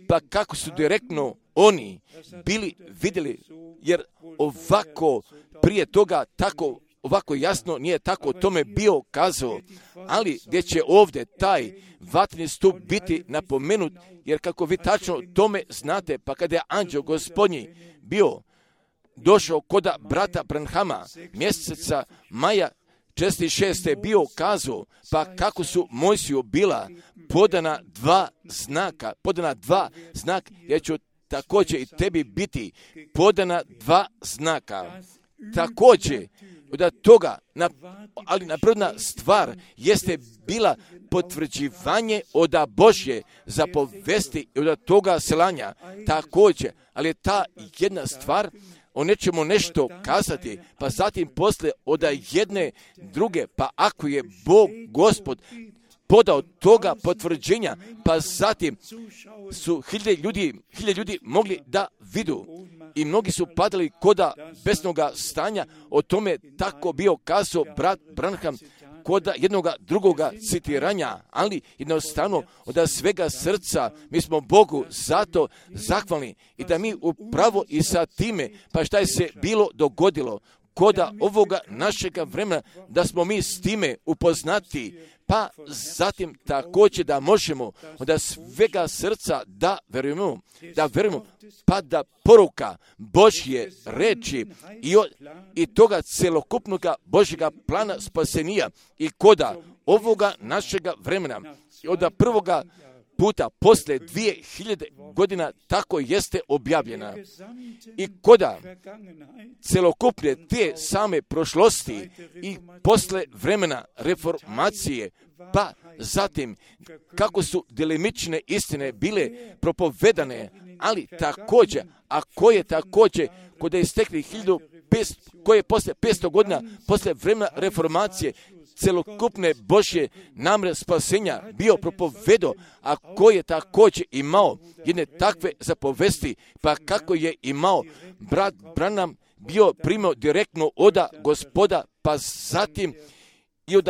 pa kako su direktno oni bili vidjeli, jer ovako prije toga tako ovako jasno nije tako tome bio kazao, ali gdje će ovdje taj vatreni stup biti napomenut, jer kako vi tačno tome znate, pa kada je anđeo gospodnji bio došao koda brata Branhama mjeseca maja četrdeset šeste. bio kazao, pa kako su Mojsiju bila podana dva znaka, podana dva znaka, jer ću također i tebi biti podana dva znaka. Također, od toga, na, ali napredna stvar jeste bila potvrđivanje od Božje zapovesti i od toga selanja. Također, ali je ta jedna stvar, o nečemu nešto kazati, pa zatim posle od jedne druge, pa ako je Bog Gospod podao toga potvrđenja, pa zatim su hiljade ljudi, hiljade ljudi mogli da vidu i mnogi su padali koda besnoga stanja, o tome tako bio kazao brat Branham, kod jednoga drugoga citiranja, ali jednostavno od svega srca mi smo Bogu zato zahvalni i da mi upravo i sa time, pa šta je se bilo dogodilo, koda ovoga našega vremena, da smo mi s time upoznati, pa zatim također da možemo od svega srca da verujemo, da verujemo, pa da poruka Božje reči i, o, i toga celokupnog Božjega plana spasenija i koda ovoga našega vremena, od prvoga puta posle dvije hiljade godina tako jeste objavljena. I koda celokupne te same prošlosti i posle vremena reformacije, pa zatim kako su delimične istine bile propovedane, ali također, a koje također kod je istekli hiljadu petsto, koje posle petsto godina, posle vremena reformacije, celokupne Božje namre spasenja bio propovedo, a koji je također imao jedne takve zapovesti, pa kako je imao brat Branham bio primio direktno oda Gospoda, pa zatim i od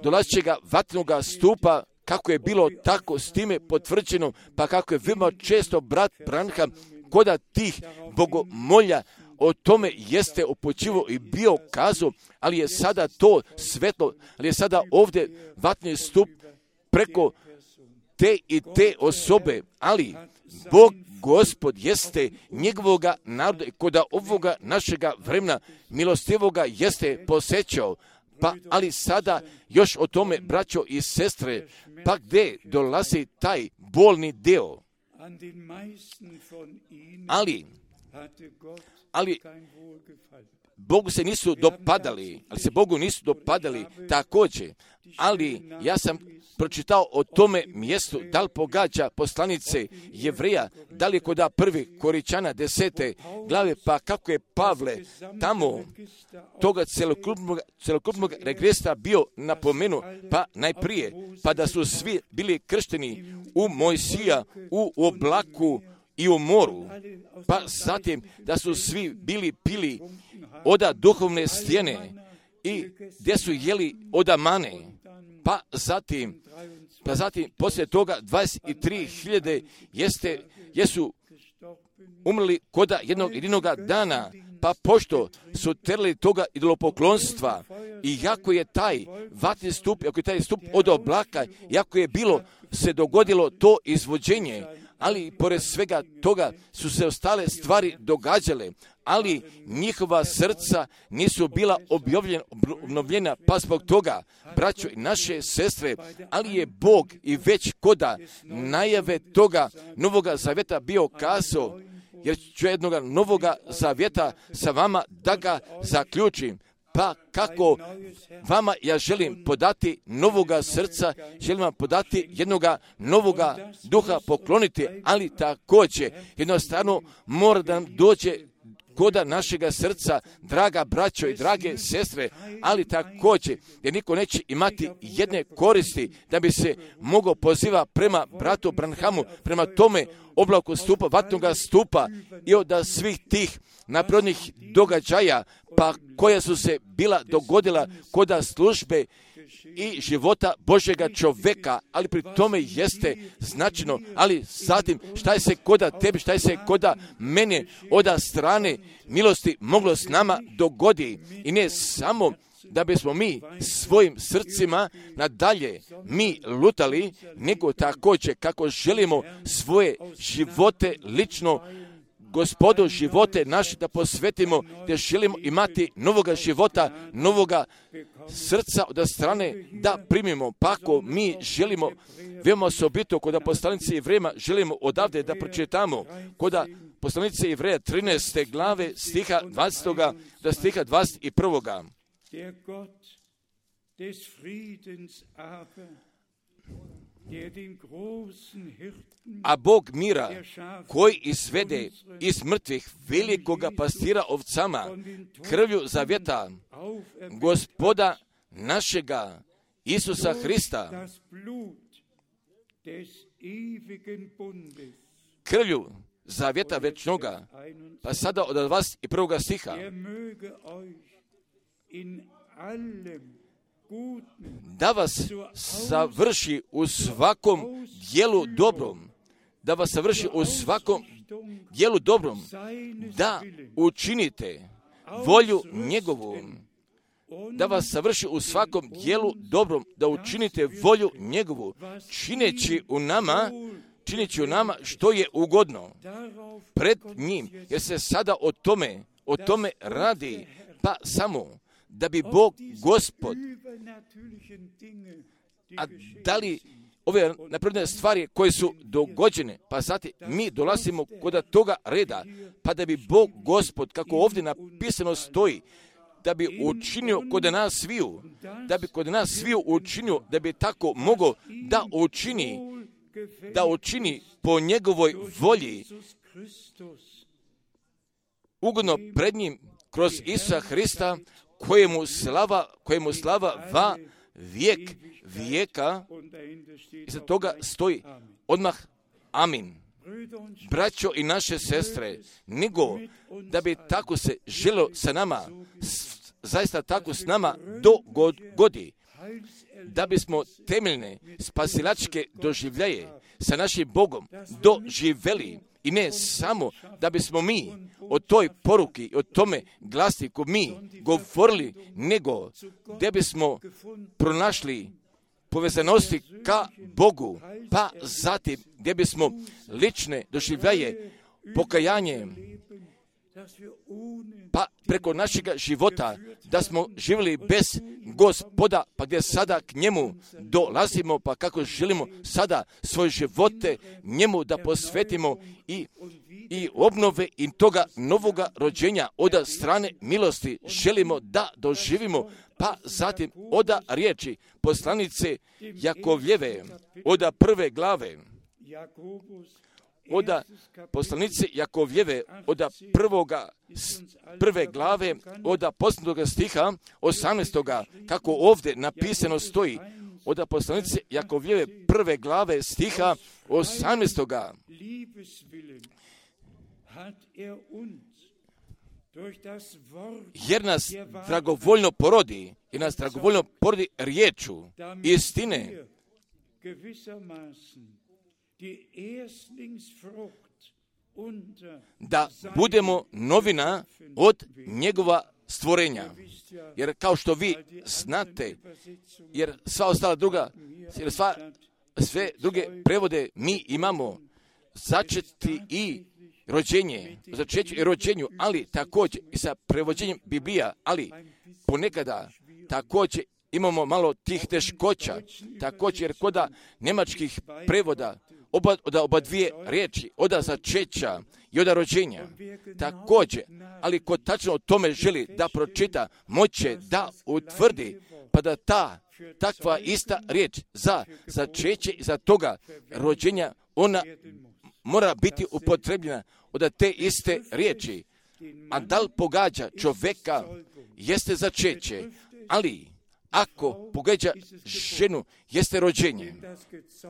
dolazećega vatrenog stupa, kako je bilo tako s time potvrđeno, pa kako je veoma često brat Branham koda tih bogomolja o tome jeste upućivo i bio kazao, ali je sada to svetlo, ali je sada ovdje vatni stup preko te i te osobe, ali Bog Gospod jeste njegovoga naroda i koda ovoga našega vremena milostivoga jeste posećao. Pa, ali sada još o tome, braćo i sestre, pa gdje dolazi taj bolni deo? Ali, ali Bogu se nisu dopadali, ali se Bogu nisu dopadali također, ali ja sam pročitao o tome mjestu, da li pogađa poslanice Jevreja, da li je kod prvi Koričana desete glave, pa kako je Pavle tamo toga celokupnog, celokupnog regresa bio napomenu, pa najprije, pa da su svi bili kršteni u Mojsija, u oblaku i u moru, pa zatim da su svi bili pili oda duhovne stijene i gdje su jeli oda mane, pa zatim, pa zatim poslije toga dvadeset tri hiljade jeste, jesu umrli koda jednog jedinoga dana, pa pošto su terali toga idolopoklonstva i jako je taj vatni stup, ako je taj stup od oblaka, jako je bilo se dogodilo to izvođenje, ali pored svega toga su se ostale stvari događale, ali njihova srca nisu bila obnovljena, pa zbog toga, braćo i naše sestre, ali je Bog i već koda najave toga Novoga Zavjeta bio kazao, jer ću jednoga Novoga Zavjeta sa vama da ga zaključim. Pa kako vama ja želim podati novoga srca, želim vam podati jednoga novoga duha pokloniti, ali također jednostavno mora da nam dođe koda našega srca, draga braćo i drage sestre, ali također jer niko neće imati jedne koristi da bi se mogao poziva prema bratu Branhamu, prema tome oblaku stupa, vatnoga stupa i od svih tih naprodnih događaja, pa koja su se bila dogodila koda službe i života Božjega čovjeka, ali pri tome jeste značajno, ali zatim šta je se koda tebi, šta je se koda mene od strane milosti moglo s nama dogodi i ne samo da bismo mi svojim srcima nadalje mi lutali, nego također kako želimo svoje živote lično Gospodu živote naše da posvetimo, da želimo imati novoga života, novoga srca od strane da primimo. Pa ako mi želimo veoma osobito kod poslanice Jevrejima, želimo odavde da pročitamo kod poslanice Jevreja trinaeste glave stiha dvadesetog do stiha dvadeset prvog. A Bog mira, koji izvede iz mrtvih velikoga pastira ovcama, krvlju zavjeta, Gospoda našega Isusa Hrista, krvlju zavjeta večnoga, pa sada od dvadeset prvog stiha, da vas savrši u svakom dijelu dobrom, da vas savrši u svakom dijelu dobrom, da učinite volju njegovu, da vas savrši u svakom dijelu dobrom, da učinite volju njegovu, čineći u nama, čineći u nama što je ugodno pred njim, jer se sada o tome, o tome radi, pa samo da bi Bog Gospod, a da li ove napredne stvari koje su dogođene, pa zatim mi dolazimo kod toga reda, pa da bi Bog Gospod, kako ovdje napisano stoji, da bi učinio kod nas sviju, da bi kod nas sviju učinio, da bi tako mogao da učini, da učini po njegovoj volji, ugodno pred njim kroz Isusa Hrista, kojemu slava, kojemu slava va vijek vijeka, iza toga stoji odmah amin. Braćo i naše sestre, nego da bi tako se želo sa nama, zaista tako s nama dogodi, da bismo temeljne spasilačke doživljaje sa našim Bogom doživeli, i ne samo da bismo mi o toj poruki, o tome glasniku mi govorili, nego da bismo pronašli povezanosti ka Bogu, pa zatim gdje bismo lične doživljaje, pokajanje, pa preko našega života da smo živjeli bez Gospoda, pa gdje sada k njemu dolazimo, pa kako želimo sada svoje živote njemu da posvetimo i, i obnove i toga novoga rođenja od strane milosti želimo da doživimo, pa zatim od riječi poslanice Jakovljeve, od prve glave, od poslanice Jakovljeve, od prvoga, prve glave, od posljednjega stiha, osamnaestoga, kako ovdje napisano stoji, od poslanice Jakovljeve, prve glave, stiha, osamnaestoga. Jer nas dragovoljno porodi, jer nas dragovoljno porodi riječu istine, da budemo novina od njegova stvorenja. Jer kao što vi znate, jer sva ostala druga, jer sva, sve druge prevode mi imamo začeti i rođenje, začeću i rođenju, ali također i sa prevođenjem Biblija, ali ponekada također imamo malo tih teškoća, također jer kod njemačkih prevoda oba, od oba dvije riječi, od začeća i od rođenja, također, ali ko tačno o tome želi da pročita, moće da utvrdi, pa da ta takva ista riječ za začeće i za toga rođenja, ona mora biti upotrebljena od te iste riječi. A da li pogađa čovjeka jeste začeće, ali ako pogađa ženu jeste rođenje.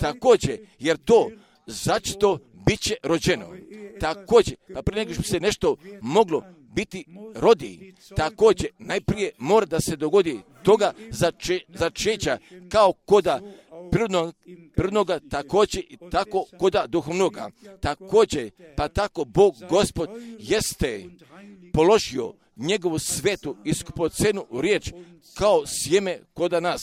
Također, jer to začeto bit će rođeno. Također, pa prije nego što se nešto moglo biti rodi, također najprije mora da se dogodi toga zače, začeća kao koda prirodnog, prirodnoga, također i tako koda duhovnoga. Također, pa tako Bog Gospod jeste položio njegovu svetu i skupocenu riječ kao sjeme koda nas.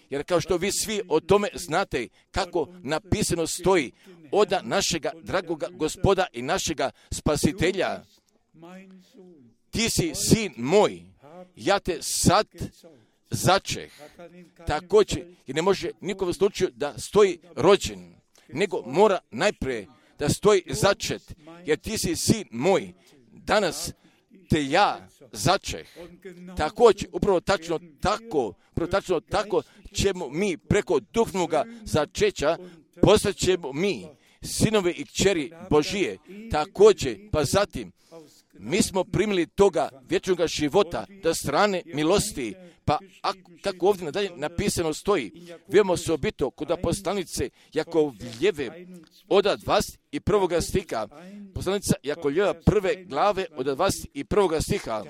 Jer kao što vi svi o tome znate kako napisano stoji od našega dragoga Gospoda i našega Spasitelja, ti si sin moj, ja te sad začeh. Također, jer ne može nikom slučaju da stoji rođen, nego mora najprije da stoji začet, jer ti si sin moj, danas te ja začeh. Također, upravo tačno tako, upravo tačno tako ćemo mi preko duhovnoga začeća postat ćemo mi sinove i kćeri Božije. Također, pa zatim, mi smo primili toga vječnog života do strane milosti, pa ako, kako ovdje nadalje napisano stoji, vidimo se obito kod poslanice Jakovljeve od dvadeset prvoga stiha, poslanica Jakovljeva prve glave od dvadeset prvog stiha,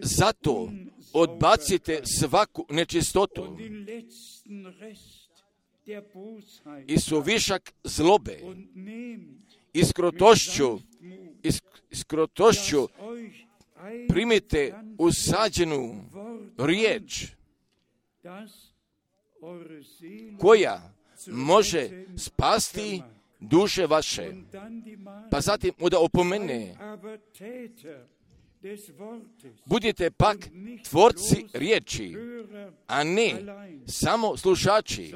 Zato odbacite svaku nečistotu i suvišak zlobe i skrotošću, i skrotošću primite usađenu riječ koja može spasti duše vaše. Pa zatim da opomene, budite pak tvorci riječi, a ne samo slušači,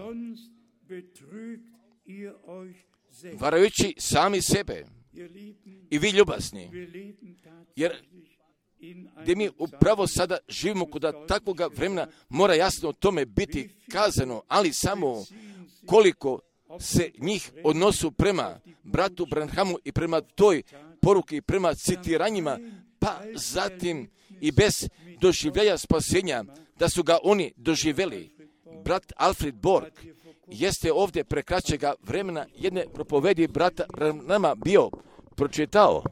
varajući sami sebe. I vi ljubazni, jer gdje mi upravo sada živimo kod takvoga vremena, mora jasno o tome biti kazano, ali samo koliko se njih odnosu prema bratu Branhamu i prema toj poruki, prema citiranjima, pa zatim i bez doživljaja spasenja, da su ga oni doživjeli. Brat Alfred Borg jeste ovdje prekraćega vremena jedne propovedi brata Branhama bio pročitao,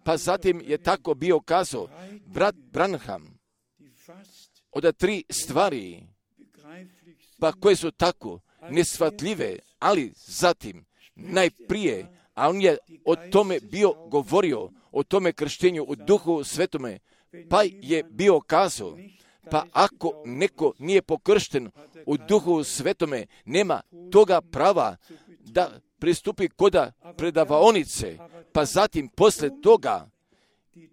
pa zatim je tako bio kazao, brat Branham, od tri stvari, pa koje su tako nesvatljive, ali zatim najprije, a on je o tome bio govorio, o tome krštenju u Duhu Svetome, pa je bio kazao, pa ako neko nije pokršten u Duhu Svetome, nema toga prava da pristupi koda predavaonice, pa zatim posle toga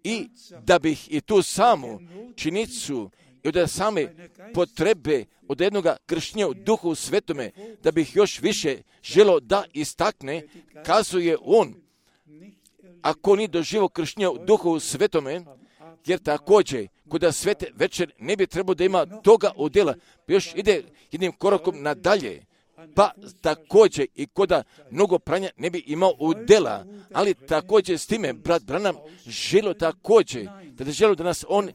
i da bih i tu samu činicu i od same potrebe od jednog krštenja u Duhu Svetome, da bih još više želio da istakne, kazuje on, ako ni doživo krštenja u Duhu Svetome, jer također kod svete večer ne bi trebao da ima toga udjela, pa još ide jednim korakom nadalje, pa također i kod mnogo pranja ne bi imao udjela, ali također s time brat Branham želio također, da ne želio da nas on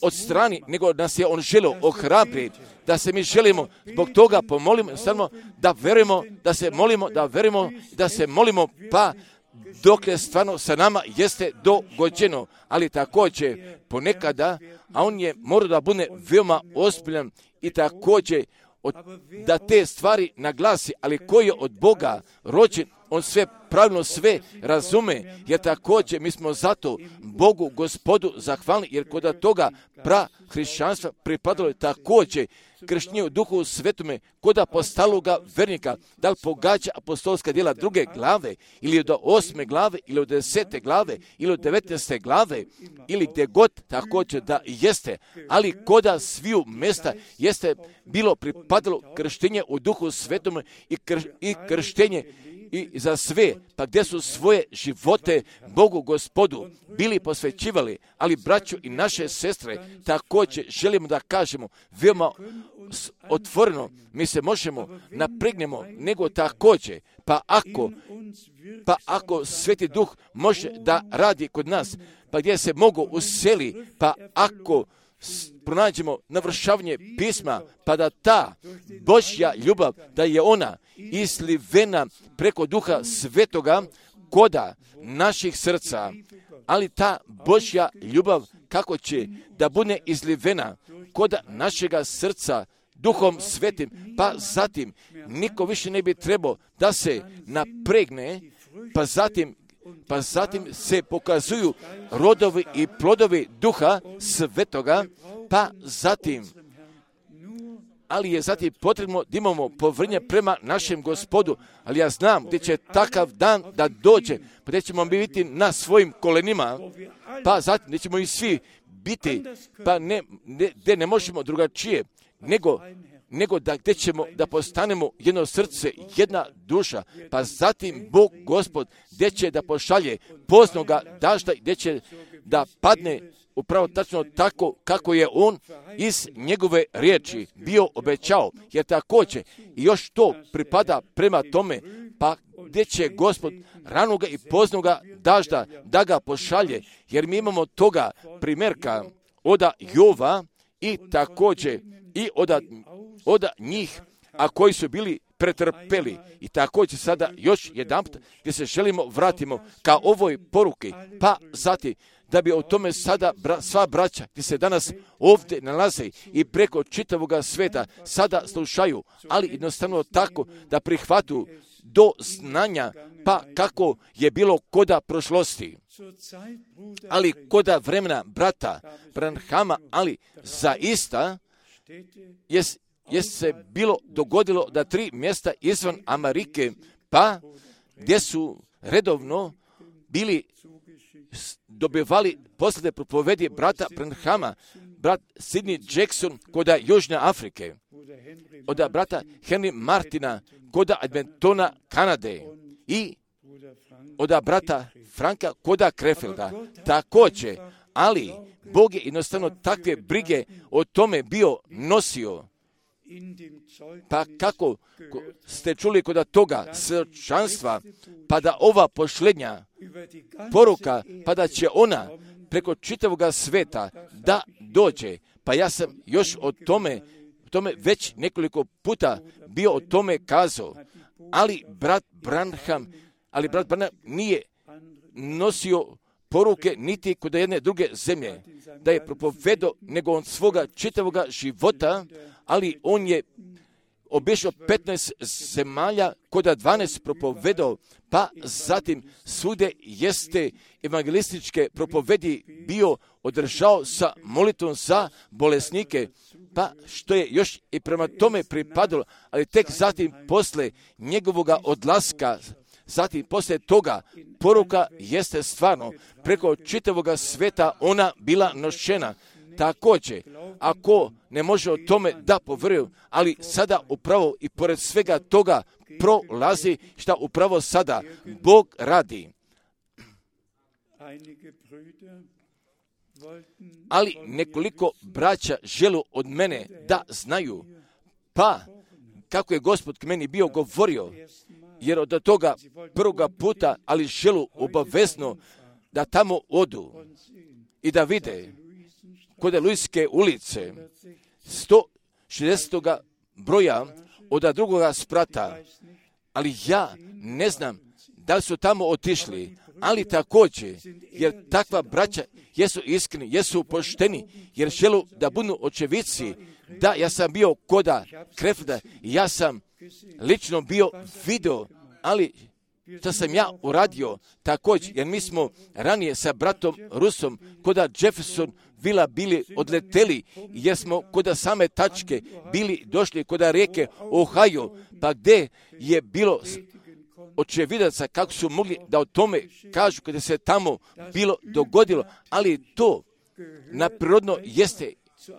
odstrani, nego nas je on želio ohrabriti, da se mi želimo zbog toga pomolimo, samo da verujemo, da se molimo, da verujemo, da se molimo, pa dok je stvarno sa nama jeste dogođeno, ali također ponekada, a on je morao da bude veoma ozbiljan i također od, da te stvari naglasi, ali koji je od Boga rođen, on sve pravilno sve razume, jer također mi smo zato Bogu Gospodu zahvalni, jer kod toga pra hrišćanstva pripadalo je također krštenje u Duhu Svetome kod apostologa vernika, da li pogađa apostolska djela druge glave, ili od osme glave, ili od desete glave, ili od devetnaeste glave, ili gdje god također da jeste, ali koda sviju mesta jeste bilo pripadalo krštenje u Duhu Svetome i, kr, i krštenje i za sve, pa gdje su svoje živote Bogu Gospodu bili posvećivali, ali braću i naše sestre također želimo da kažemo veoma otvoreno, mi se možemo napregnemo, nego također, pa ako, pa ako Sveti Duh može da radi kod nas, pa gdje se mogu useli, pa ako pronađemo navršavanje pisma, pa da ta Božja ljubav, da je ona izlivena preko Duha Svetoga koda naših srca, ali ta Božja ljubav kako će da bude izlivena koda našega srca Duhom Svetim, pa zatim niko više ne bi trebao da se napregne, pa zatim pa zatim se pokazuju rodovi i plodovi Duha Svetoga, pa zatim, ali je zatim potrebno da imamo povrnje prema našem Gospodu, ali ja znam gdje će takav dan da dođe, pa gdje ćemo biti na svojim kolenima, pa zatim gdje ćemo i svi biti, pa ne, ne, gdje ne možemo drugačije, nego nego da gdje ćemo da postanemo jedno srce, jedna duša, pa zatim Bog Gospod gdje će da pošalje poznoga dažda, gdje će da padne upravo tačno tako kako je on iz njegove riječi bio obećao, jer također i još to pripada prema tome, pa gdje će Gospod ranoga i poznoga dažda da ga pošalje, jer mi imamo toga primjerka od Jova i također i od, od njih, a koji su bili pretrpeli. I također sada još jedanput gdje se želimo vratimo ka ovoj poruki, pa zatim da bi o tome sada bra, sva braća gdje se danas ovdje nalaze i preko čitavoga sveta sada slušaju, ali jednostavno tako da prihvatu do znanja, pa kako je bilo koda prošlosti. Ali koda vremena brata Branhama, ali zaista je, je se bilo dogodilo da tri mjesta izvan Amerike, pa gdje su redovno bili dobivali posljedne propovedi brata Branhama, brat Sidney Jackson koda Južne Afrike, od brata Henry Martina koda Edmontona, Kanade i od brata Franka koda Krefelda. Također, ali Bog je jednostavno takve brige o tome bio nosio. Pa kako ste čuli kod toga svjedočanstva, pa da ova posljednja poruka, pa da će ona preko čitavoga sveta da dođe. Pa ja sam još o tome, tome već nekoliko puta bio o tome kazao, ali brat Branham, ali brat Branham nije nosio poruke niti kod jedne druge zemlje, da je propovedao, nego on svoga čitavoga života, ali on je obišao petnaest zemalja, koda dvanaest propovedao, pa zatim svude jeste evangelističke propovedi bio održao sa molitvom za bolesnike, pa što je još i prema tome pripadalo, ali tek zatim posle njegovoga odlaska, zatim poslije toga poruka jeste stvarno preko čitavoga sveta ona bila nošena. Također, ako ne može o tome da povjeruju, ali sada upravo i pored svega toga prolazi šta upravo sada Bog radi. Ali nekoliko braća želu od mene da znaju, pa kako je Gospod k meni bio govorio, jer od toga prvoga puta, ali želu obavezno da tamo odu i da vide kod Luiske ulice sto šezdeset broja od drugoga sprata, ali ja ne znam da li su tamo otišli, ali također, jer takva braća jesu iskreni, jesu pošteni, jer želu da budu očevici, da ja sam bio koda Krefda, ja sam lično bio video, ali što sam ja uradio također, jer mi smo ranije sa bratom Rusom koda Jefferson Vila bili odleteli, jer smo koda same tačke bili došli koda rijeke Ohio, pa gdje je bilo očevidaca kako su mogli da o tome kažu kada se tamo bilo dogodilo, ali to naprirodno jeste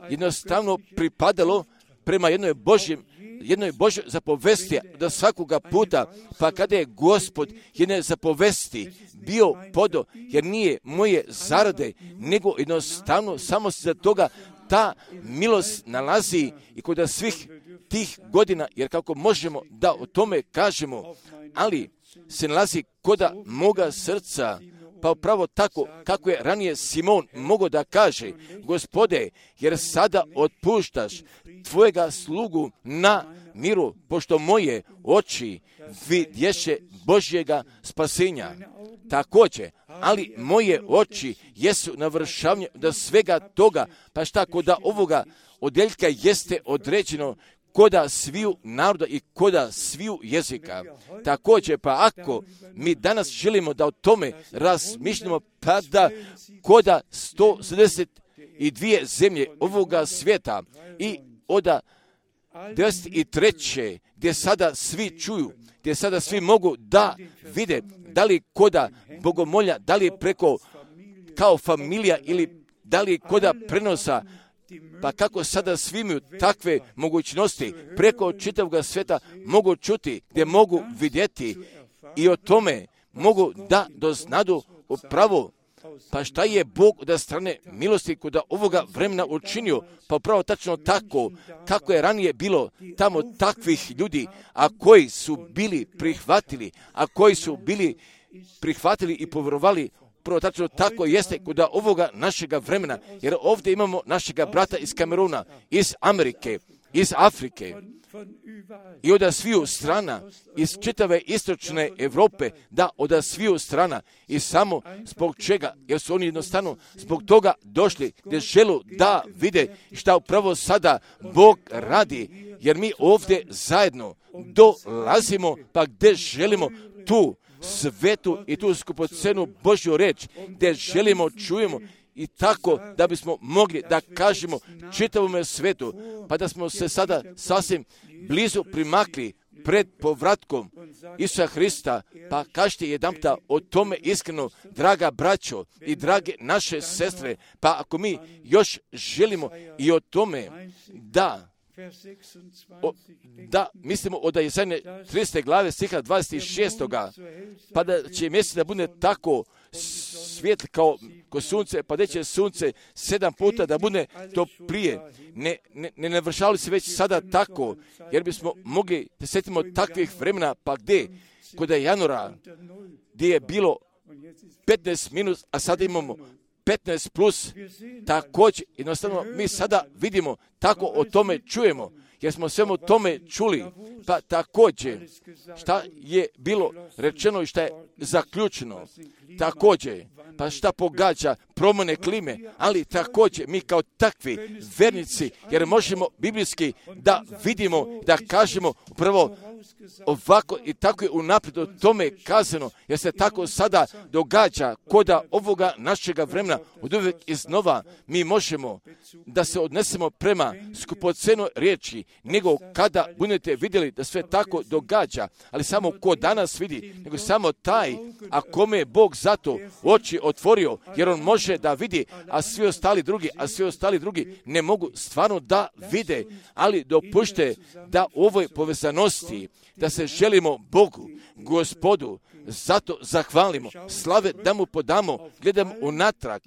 jednostavno pripadalo prema jednoj Božjem, jednoj Božjoj zapovesti do svakoga puta, pa kada je Gospod jedne zapovesti bio podo, jer nije moje zarade, nego jednostavno samo se za toga ta milost nalazi i kod svih tih godina, jer kako možemo da o tome kažemo, ali se nalazi koda moga srca, pa upravo tako kako je ranije Simon mogao da kaže, Gospode, jer sada otpuštaš tvojega slugu na miru, pošto moje oči vidješe Božjega spasenja. Također, ali moje oči jesu na vršavnju do svega toga, pa šta koda ovoga odjeljka jeste određeno koda sviju naroda i koda sviju jezika. Također, pa ako mi danas želimo da o tome razmišljamo, pa da koda sto sedamdeset dvije zemlje ovoga svijeta i od devedeset treće gdje sada svi čuju, gdje sada svi mogu da vide, da li koda bogomolja, da li preko kao familija ili da li koda prenosa, pa kako sada svi imaju takve mogućnosti preko čitavog svijeta mogu čuti, gdje mogu vidjeti i o tome mogu da doznadu upravo, pa šta je Bog od strane milosti kod ovoga vremena učinio, pa upravo tačno tako kako je ranije bilo tamo takvih ljudi, a koji su bili prihvatili, a koji su bili prihvatili i povjerovali. Prvo tačno tako jeste kod ovoga našega vremena, jer ovdje imamo našega brata iz Kameruna, iz Amerike, iz Afrike i od sviju strana, iz čitave istočne Europe, da od sviju strana i samo zbog čega, jer su oni jednostavno zbog toga došli gdje želu da vide šta upravo sada Bog radi, jer mi ovdje zajedno dolazimo pa gdje želimo tu svetu i tu skupocenu Božju reč, gdje želimo čujemo i tako da bismo mogli da kažemo čitavome svetu, pa da smo se sada sasvim blizu primakli pred povratkom Isusa Hrista, pa kažite jedanputa o tome iskreno, draga braćo i drage naše sestre, pa ako mi još želimo i o tome da O, da, mislimo od Isajine tridesete glave stiha dvadeset šest. Pa da će mjesec da bude tako svijetli kao ko sunce, pa da će sunce sedam puta da bude toplije. Ne, ne, ne navršavali se već sada tako, jer bismo mogli da sjetimo takvih vremena, pa gdje, kod januara, gdje je bilo petnaest minus, a sada imamo petnaest plus, također, jednostavno mi sada vidimo, tako o tome čujemo, jer smo svemu tome čuli, pa također, šta je bilo rečeno i šta je zaključeno, također, pa šta pogađa promjene klime, ali također mi kao takvi vernici, jer možemo biblijski da vidimo, da kažemo upravo ovako i tako je unaprijed o tome kazano, jer se tako sada događa koda ovoga našega vremena od uvijek iznova mi možemo da se odnesemo prema skupocenoj riječi, nego kada budete vidjeli da sve tako događa, ali samo ko danas vidi, nego samo taj, a kome je Bog zato oči otvorio, jer on može da vidi, a svi ostali drugi, a svi ostali drugi ne mogu stvarno da vide, ali dopušte da u ovoj povezanosti, da se želimo Bogu, Gospodu, zato zahvalimo, slave da mu podamo, gledam unatrag,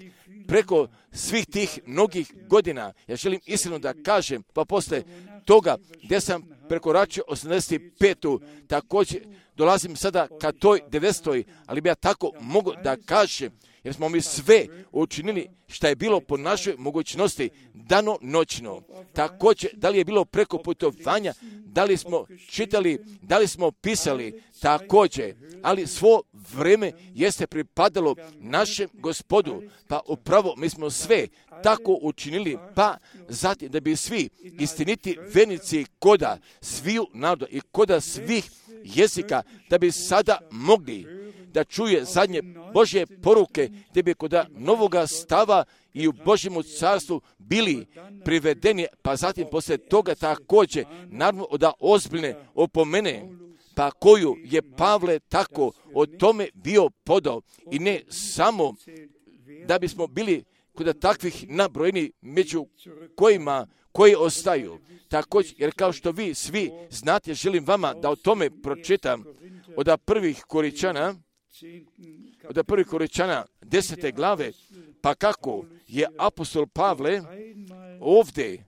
preko svih tih mnogih godina. Ja želim iskreno da kažem, pa posle toga gdje sam prekoračio osamdeset petu također dolazim sada ka toj devetstoj, ali bi ja tako mogu da kažem, jer smo mi sve učinili što je bilo po našoj mogućnosti dano noćno. Također, da li je bilo preko putovanja, da li smo čitali, da li smo pisali, također, ali svo vrijeme jeste pripadalo našem Gospodu, pa upravo mi smo sve tako učinili, pa zatim da bi svi istiniti vernici koda sviju naroda i koda svih jezika, da bi sada mogli da čuje zadnje Božje poruke, gdje bi kod novoga stava i u Božjemu carstvu bili privedeni, pa zatim poslije toga također, naravno da ozbiljne opomene, pa koju je Pavle tako o tome bio podao, i ne samo da bismo bili kod takvih nabrojeni među kojima koji ostaju. Također, jer kao što vi svi znate, želim vama da o tome pročitam od prvih Koričana, od prvih Koričana desete glave, pa kako je apostol Pavle ovdje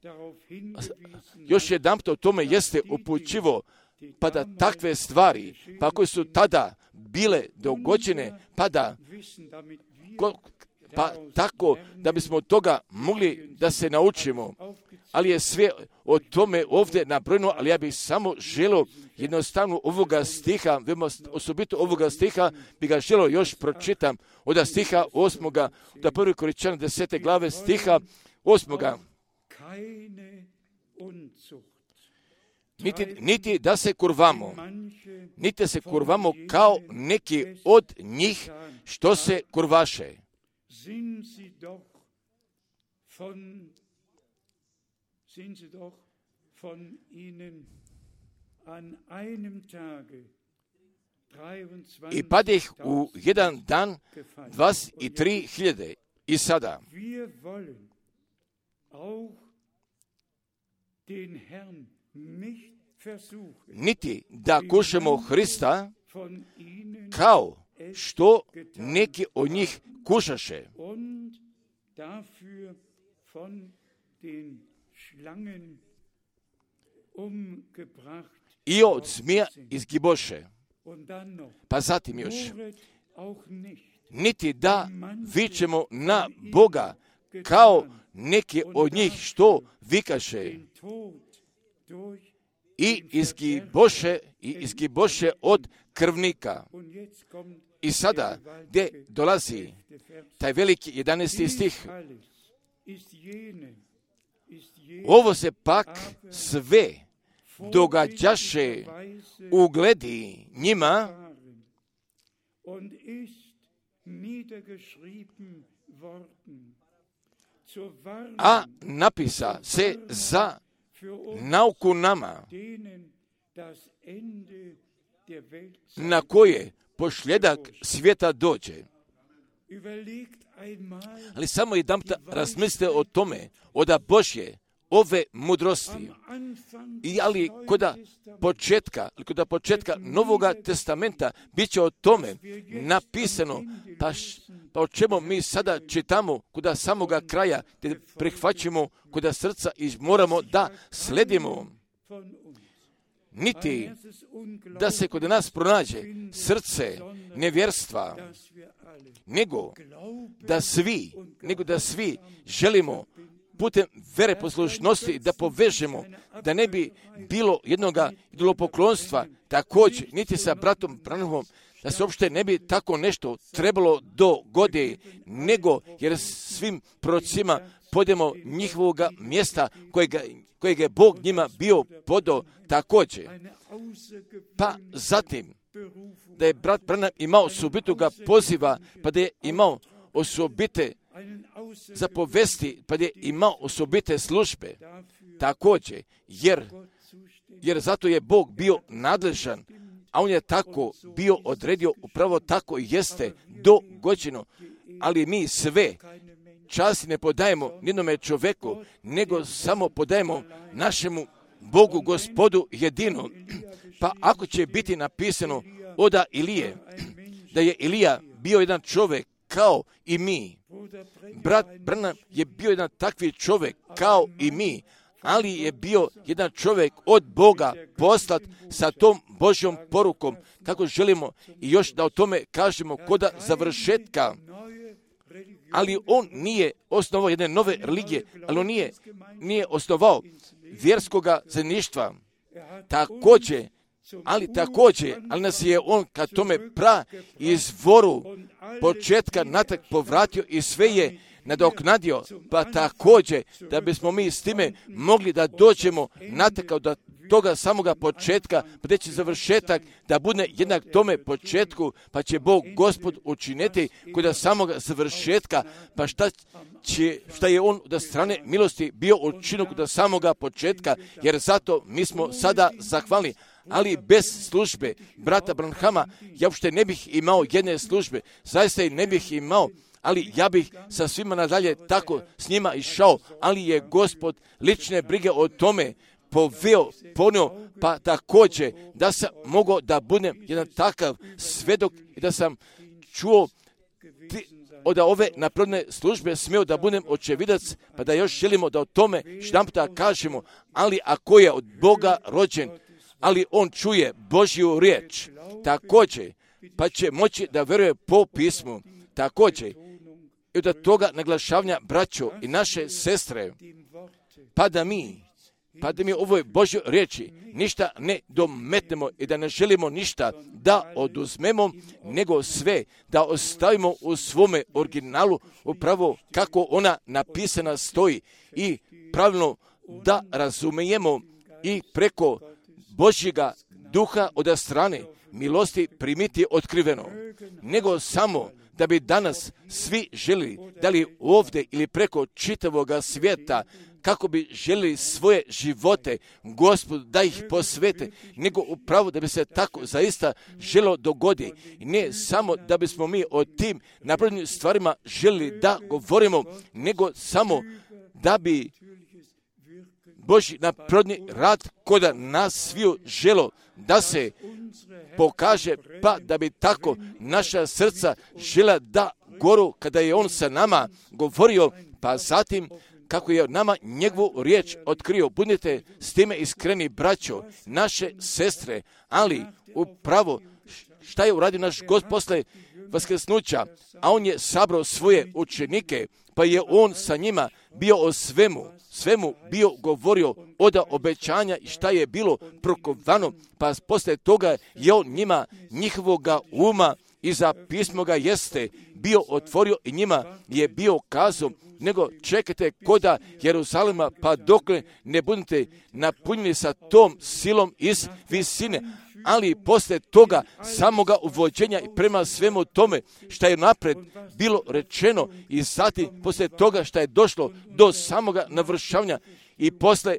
još jedan o tome jeste upućivo, pa da takve stvari, pa koje su tada bile dogođene, pa da pa tako da bismo od toga mogli da se naučimo, ali je sve o tome ovdje nabrojeno, ali ja bih samo želio jednostavno ovoga stiha, osobito ovoga stiha, bi ga želio još pročitam od stiha osmoga, da prvi Koričana desete glave stiha osmoga. Niti, niti da se kurvamo, niti se kurvamo kao neki od njih što se kurvaše. Sind sie doch von, sind sie doch von ihnen an einem Tage I padih u jedan dan dvadeset tri hiljade. I sada wir wollen auch den Herrn nicht versuchen, niti da kušamo Hrista kao što neki od njih kušaše. und dafür von den Schlangen umgebracht. I od zmija izgiboše. Und dann noch, Pa zatim još, Moret auch nicht, niti da vičemo na Boga kao neki od njih što vikaše. den Tod i izgiboše, i izgiboše od krvnika. I sada, gdje dolazi taj veliki jedanaesti stih, ovo se pak sve događaše u gledi njima, a napisa se za nauku nama, na koje pošljedak svijeta dođe. Ali samo jedan puta razmislite o tome, oda Božje, ove mudrosti. I ali koda početka, koda početka Novoga testamenta bit će o tome napisano, pa, š, pa o čemu mi sada čitamo koda samoga kraja, gdje prihvaćamo koda srca i moramo da sledimo. Niti da se kod nas pronađe srce nevjerstva, nego da svi, nego da svi želimo putem vere poslušnosti da povežemo, da ne bi bilo jednoga idolopoklonstva, također niti sa bratom Branhamom, da se uopšte ne bi tako nešto trebalo dogodi, nego jer svim prorocima podemo njihovoga mjesta kojega, kojeg je Bog njima bio podao također. Pa zatim, da je brat Branham imao osobitoga poziva, pa da je imao osobite zapovesti, pa da je imao osobite službe također, jer, jer zato je Bog bio nadležan, a on je tako bio odredio, upravo tako jeste dogođeno, ali mi sve časti ne podajemo nijednome čovjeku, nego samo podajemo našemu Bogu, Gospodu jedino. Pa ako će biti napisano oda Ilije, da je Ilija bio jedan čovjek kao i mi, brat Branham je bio jedan takvi čovjek kao i mi, ali je bio jedan čovjek od Boga poslat sa tom Božjom porukom, kako želimo i još da o tome kažemo koda završetka. Ali on nije osnovao jedne nove religije, ali on nije, nije osnovao vjerskoga zajedništva. Također, ali također, ali nas je on ka tome pra izvoru početka natrag povratio i sve je nadoknadio, pa također da bismo mi s time mogli da dođemo natrag od toga samoga početka, pa da će završetak da bude jednak tome početku, pa će Bog Gospod učiniti kod samoga završetka, pa šta će, šta je on od strane milosti bio učinio kod samoga početka, jer zato mi smo sada zahvalni. Ali bez službe brata Branhama ja uopšte ne bih imao jedne službe, zaista i ne bih imao, ali ja bih sa svima nadalje tako s njima išao, ali je Gospod lične brige o tome poveo, ponio, pa također da sam mogao da budem jedan takav svedok i da sam čuo ti, od ove napredne službe smio da budem očevidac, pa da još želimo da o tome štamputa kažemo, ali ako je od Boga rođen, ali on čuje Božju riječ, također, pa će moći da veruje po pismu, također, i od toga naglašavanja braćo i naše sestre, pa da mi, pa da mi ovoj Božjoj riječi ništa ne dometnemo i da ne želimo ništa da oduzmemo, nego sve da ostavimo u svome originalu upravo kako ona napisana stoji i pravilno da razumijemo i preko Božjega duha od strane milosti primiti otkriveno, nego samo da bi danas svi želi, da li ovdje ili preko čitavoga svijeta, kako bi želili svoje živote Gospodu da ih posvete, nego upravo da bi se tako zaista želo dogodi. I ne samo da bismo mi o tim naprednim stvarima želili da govorimo, nego samo da bi Božji napredni rad koda nas sviju želo da se pokaže, pa da bi tako naša srca žela da goru kada je on sa nama govorio, pa zatim kako je nama njegovu riječ otkrio. Budite s time iskreni, braćo, naše sestre, ali upravo šta je uradio naš Gospod posle vaskrsnuća, a on je sabrao svoje učenike, pa je on sa njima bio o svemu, svemu bio govorio oda obećanja i šta je bilo prokovano, pa posle toga je on njima njihovoga uma i za pismo ga jeste bio otvorio i njima je bio kazao, nego čekajte koda Jeruzalema, pa dokle ne budete napunjeni sa tom silom iz visine, ali posle toga samoga uvođenja i prema svemu tome što je napred bilo rečeno i zatim posle toga što je došlo do samoga navršavanja i posle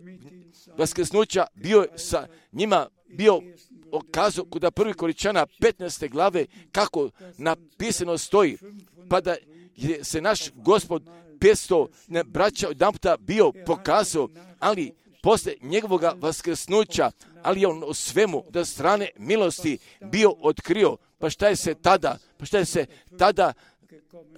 vaskrsnuća bio je sa njima bio okazao kod prvi Korinćana petnaeste glave kako napisano stoji, pa da je se naš Gospod petsto braća jedan puta bio pokazao, ali posle njegovoga vaskrsnuća, ali je on o svemu da strane milosti bio otkrio. Pa šta je se tada, pa šta je se tada,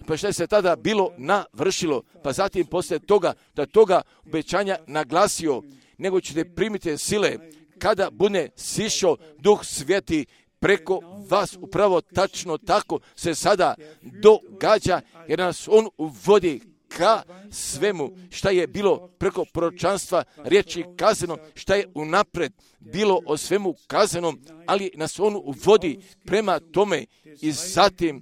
pa šta je se tada bilo navršilo, pa zatim posle toga da toga obećanja naglasio, nego ćete primiti sile kada bude sišao Duh Sveti preko vas. Upravo tačno tako se sada događa, jer nas on uvodi ka svemu šta je bilo preko proročanstva riječi kazano, šta je unapred bilo o svemu kazanom, ali nas on uvodi prema tome i zatim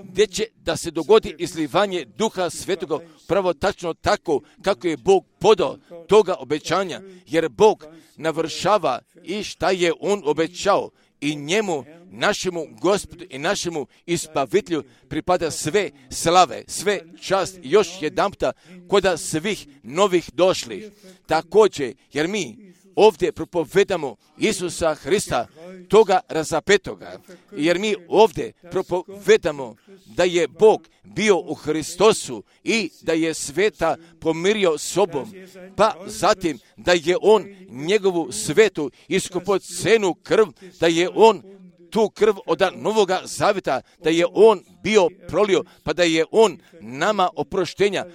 gdje će da se dogodi izlivanje Duha Svetoga, pravo tačno tako kako je Bog podao toga obećanja, jer Bog navršava i šta je on obećao i njemu, našemu Gospodu i našemu Izbavitelju pripada sve slave, sve čast i još jedanputa koda svih novih došlih. Također, jer mi ovdje propovedamo Isusa Hrista, toga razapetoga, jer mi ovdje propovedamo da je Bog bio u Hristosu i da je sveta pomirio sobom, pa zatim da je on njegovu svetu iskupocenu krv, da je on tu krv od Novoga Zaveta, da je on bio prolio, pa da je on nama oproštenja,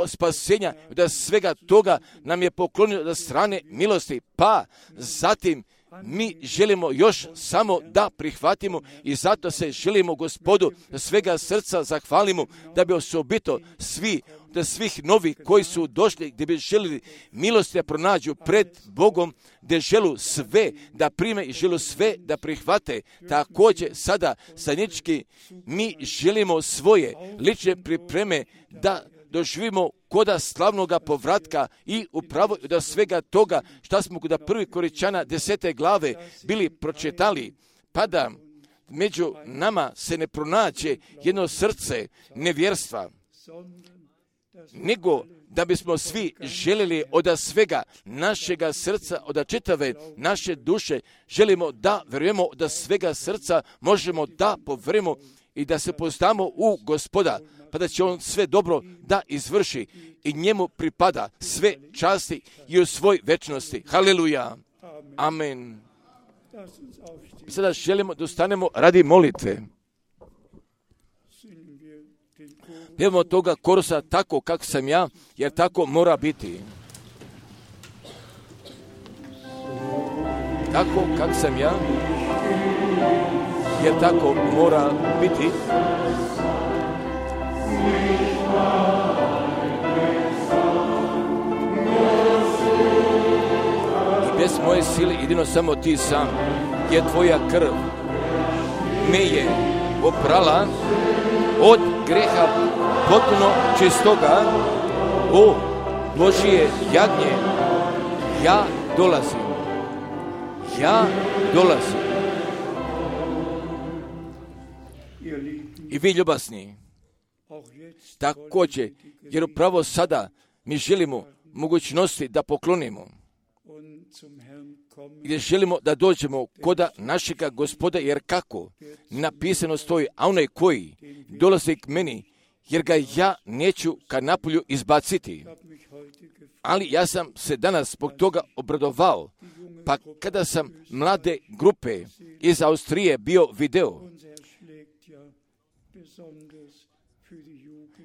spasenja, da svega toga nam je poklonio da strane milosti, pa zatim mi želimo još samo da prihvatimo i zato se želimo Gospodu da svega srca zahvalimo, da bi osobito svi, da svih novi koji su došli gdje bi želili milosti da pronađu pred Bogom, gdje želu sve da prime i želu sve da prihvate. Također sada zajednički mi želimo svoje lične pripreme da doživimo koda slavnoga povratka i upravo da svega toga šta smo kod prvi Korinćana desete glave bili pročitali, pa da među nama se ne pronađe jedno srce nevjerstva, nego da bismo svi željeli od svega našega srca, od čitave naše duše, želimo da vjerujemo da svega srca možemo da povjerujemo i da se poznamo u Gospoda, pa da će on sve dobro da izvrši i njemu pripada sve časti i u svoj večnosti. Haleluja. Amen. I sada želimo da ustanemo radi molitve. Pjevamo toga korusa tako kako sam ja, jer tako mora biti. Tako kako sam ja, jer tako mora biti. I bez moje sile jedino samo ti sam, jer tvoja krv me je oprala od greha potpuno čistoga. O Božije jagnje, ja dolazim, ja dolazim. I vi ljubasni, također, jer upravo sada mi želimo mogućnosti da poklonimo, gdje želimo da dođemo koda našega Gospoda, jer kako napisano stoji, a onaj koji dolazi k meni, jer ga ja neću ka napolju izbaciti. Ali ja sam se danas zbog toga obradovao, pa kada sam mlade grupe iz Austrije bio video,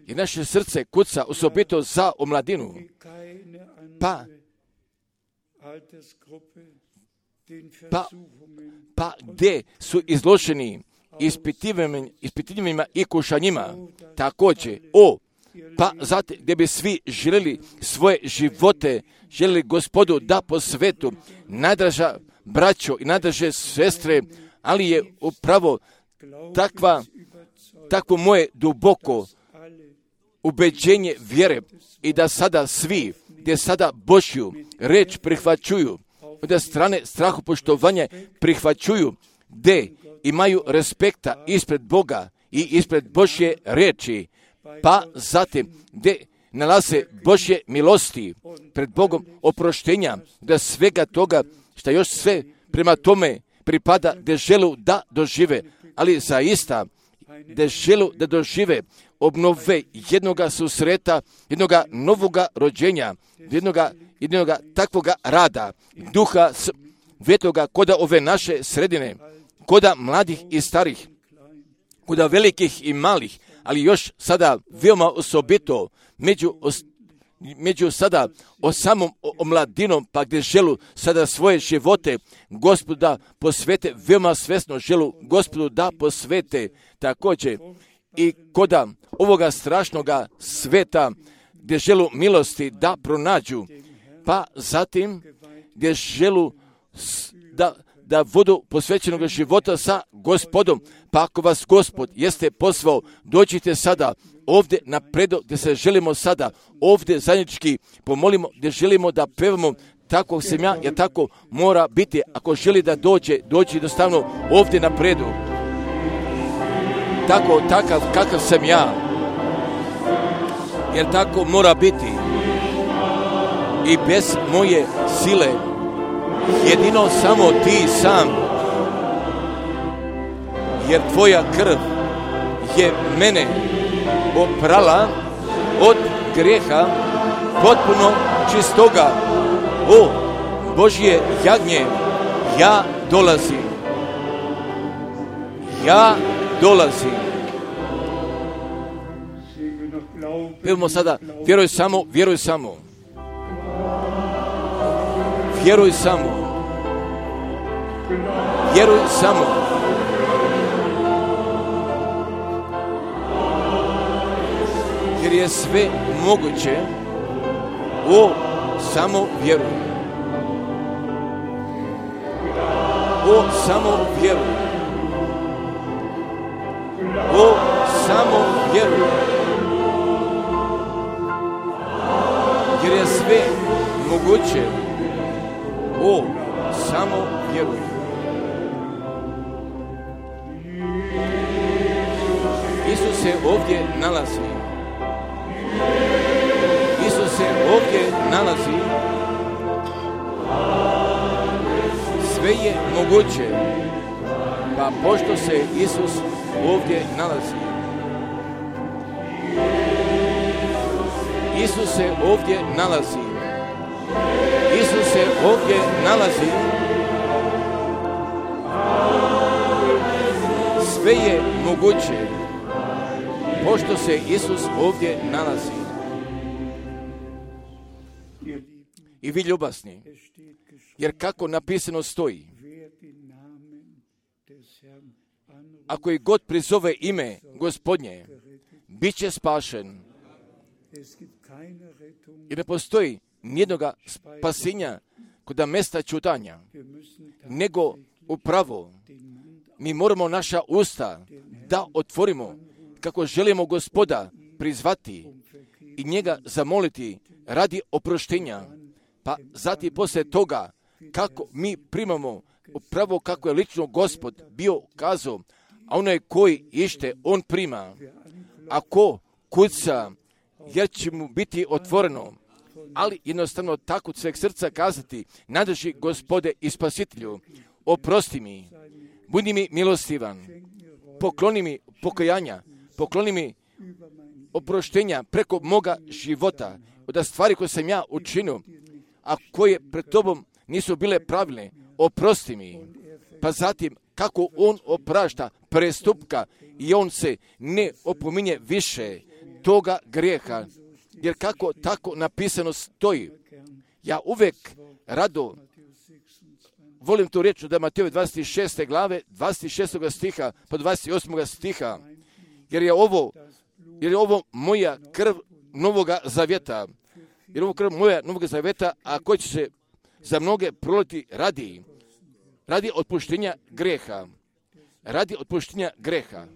i naše srce kuca osobito za omladinu, pa pa, pa gdje su izloženi ispitivanjima i kušanjima, također, o, pa zato gdje bi svi željeli svoje živote, željeli Gospodu da po svetu, najdraža braćo i najdraže sestre, ali je upravo takva, takvo moje duboko ubeđenje vjere i da sada svi, gdje sada Božju reč prihvaćuju, od strane strahopoštovanja prihvaćuju, gdje imaju respekta ispred Boga i ispred Božje reči, pa zatim gdje nalaze Božje milosti pred Bogom oproštenja, da svega toga što još sve prema tome pripada, da želu da dožive, ali zaista da želu da dožive obnove jednoga susreta, jednoga novoga rođenja, jednoga, jednoga takvoga rada, duha svetoga koda ove naše sredine, koda mladih i starih, koda velikih i malih, ali još sada veoma osobito među, među sada o samom omladinom, pa gdje želu sada svoje živote Gospodu da posvete, veoma svesno želu Gospodu da posvete također i koda ovoga strašnoga sveta gdje želu milosti da pronađu, pa zatim gdje želu da, da vodu posvećenog života sa Gospodom, pa ako vas Gospod jeste pozvao, dođite sada ovdje na predo gdje se želimo sada ovdje zajednički pomolimo, gdje želimo da pevamo tako sam ja, jer tako mora biti. Ako želi da dođe, dođi jednostavno ovdje na predu. Tako, takav kakav sam ja, jer tako mora biti. I bez moje sile, jedino samo ti sam, jer tvoja krv je mene oprala od grijeha potpuno čistoga. O Božje jagnje, ja dolazim, ja dolazim. Pevamo sada, vjeruj samo, vjeruj samo. Vjeruj samo. Vjeruj samo. Jer je sve moguće. O, samo vjeruj. O, samo vjeruj. O, samo vjeruj. Jer je sve moguće. O, samo vjeruj. Isus se ovdje nalazi. Isus se ovdje nalazi. Sve je moguće. Pa pošto se Isus ovdje nalazi. Isus se ovdje nalazi. Isus se ovdje nalazi. Sve je moguće. Pošto se Isus ovdje nalazi. I vi ljubasni, jer kako napisano stoji, ako i god prizove ime Gospodnje, bit će spašen. I ne postoji nijednoga spasenja kod mesta čutanja, nego upravo mi moramo naša usta da otvorimo kako želimo Gospoda prizvati i njega zamoliti radi oproštenja. Pa zatim poslije toga kako mi primamo upravo kako je lično Gospod bio kazao, a onaj koji ište on prima, ako kuca jer će mu biti otvoreno, ali jednostavno tako od sveg srca kazati, nadrži Gospode i Spasitelju, oprosti mi, budi mi milostivan, pokloni mi pokajanja, pokloni mi oproštenja preko moga života, od stvari koje sam ja učinio, a koje pred tobom nisu bile pravilne, oprosti mi. Pa zatim, kako on oprašta prestupka i on se ne opominje više toga grijeha, jer kako tako napisano stoji, ja uvijek rado volim tu riječ da Matejove dvadeset šeste glave, dvadeset šestog stiha, pa dvadeset osmog stiha, jer je ovo, jer je ovo moja krv novoga zavjeta, jer je ovo krv moja novoga zavjeta, a koji će se za mnoge proliti radi, radi otpuštenja greha, radi otpuštenja greha.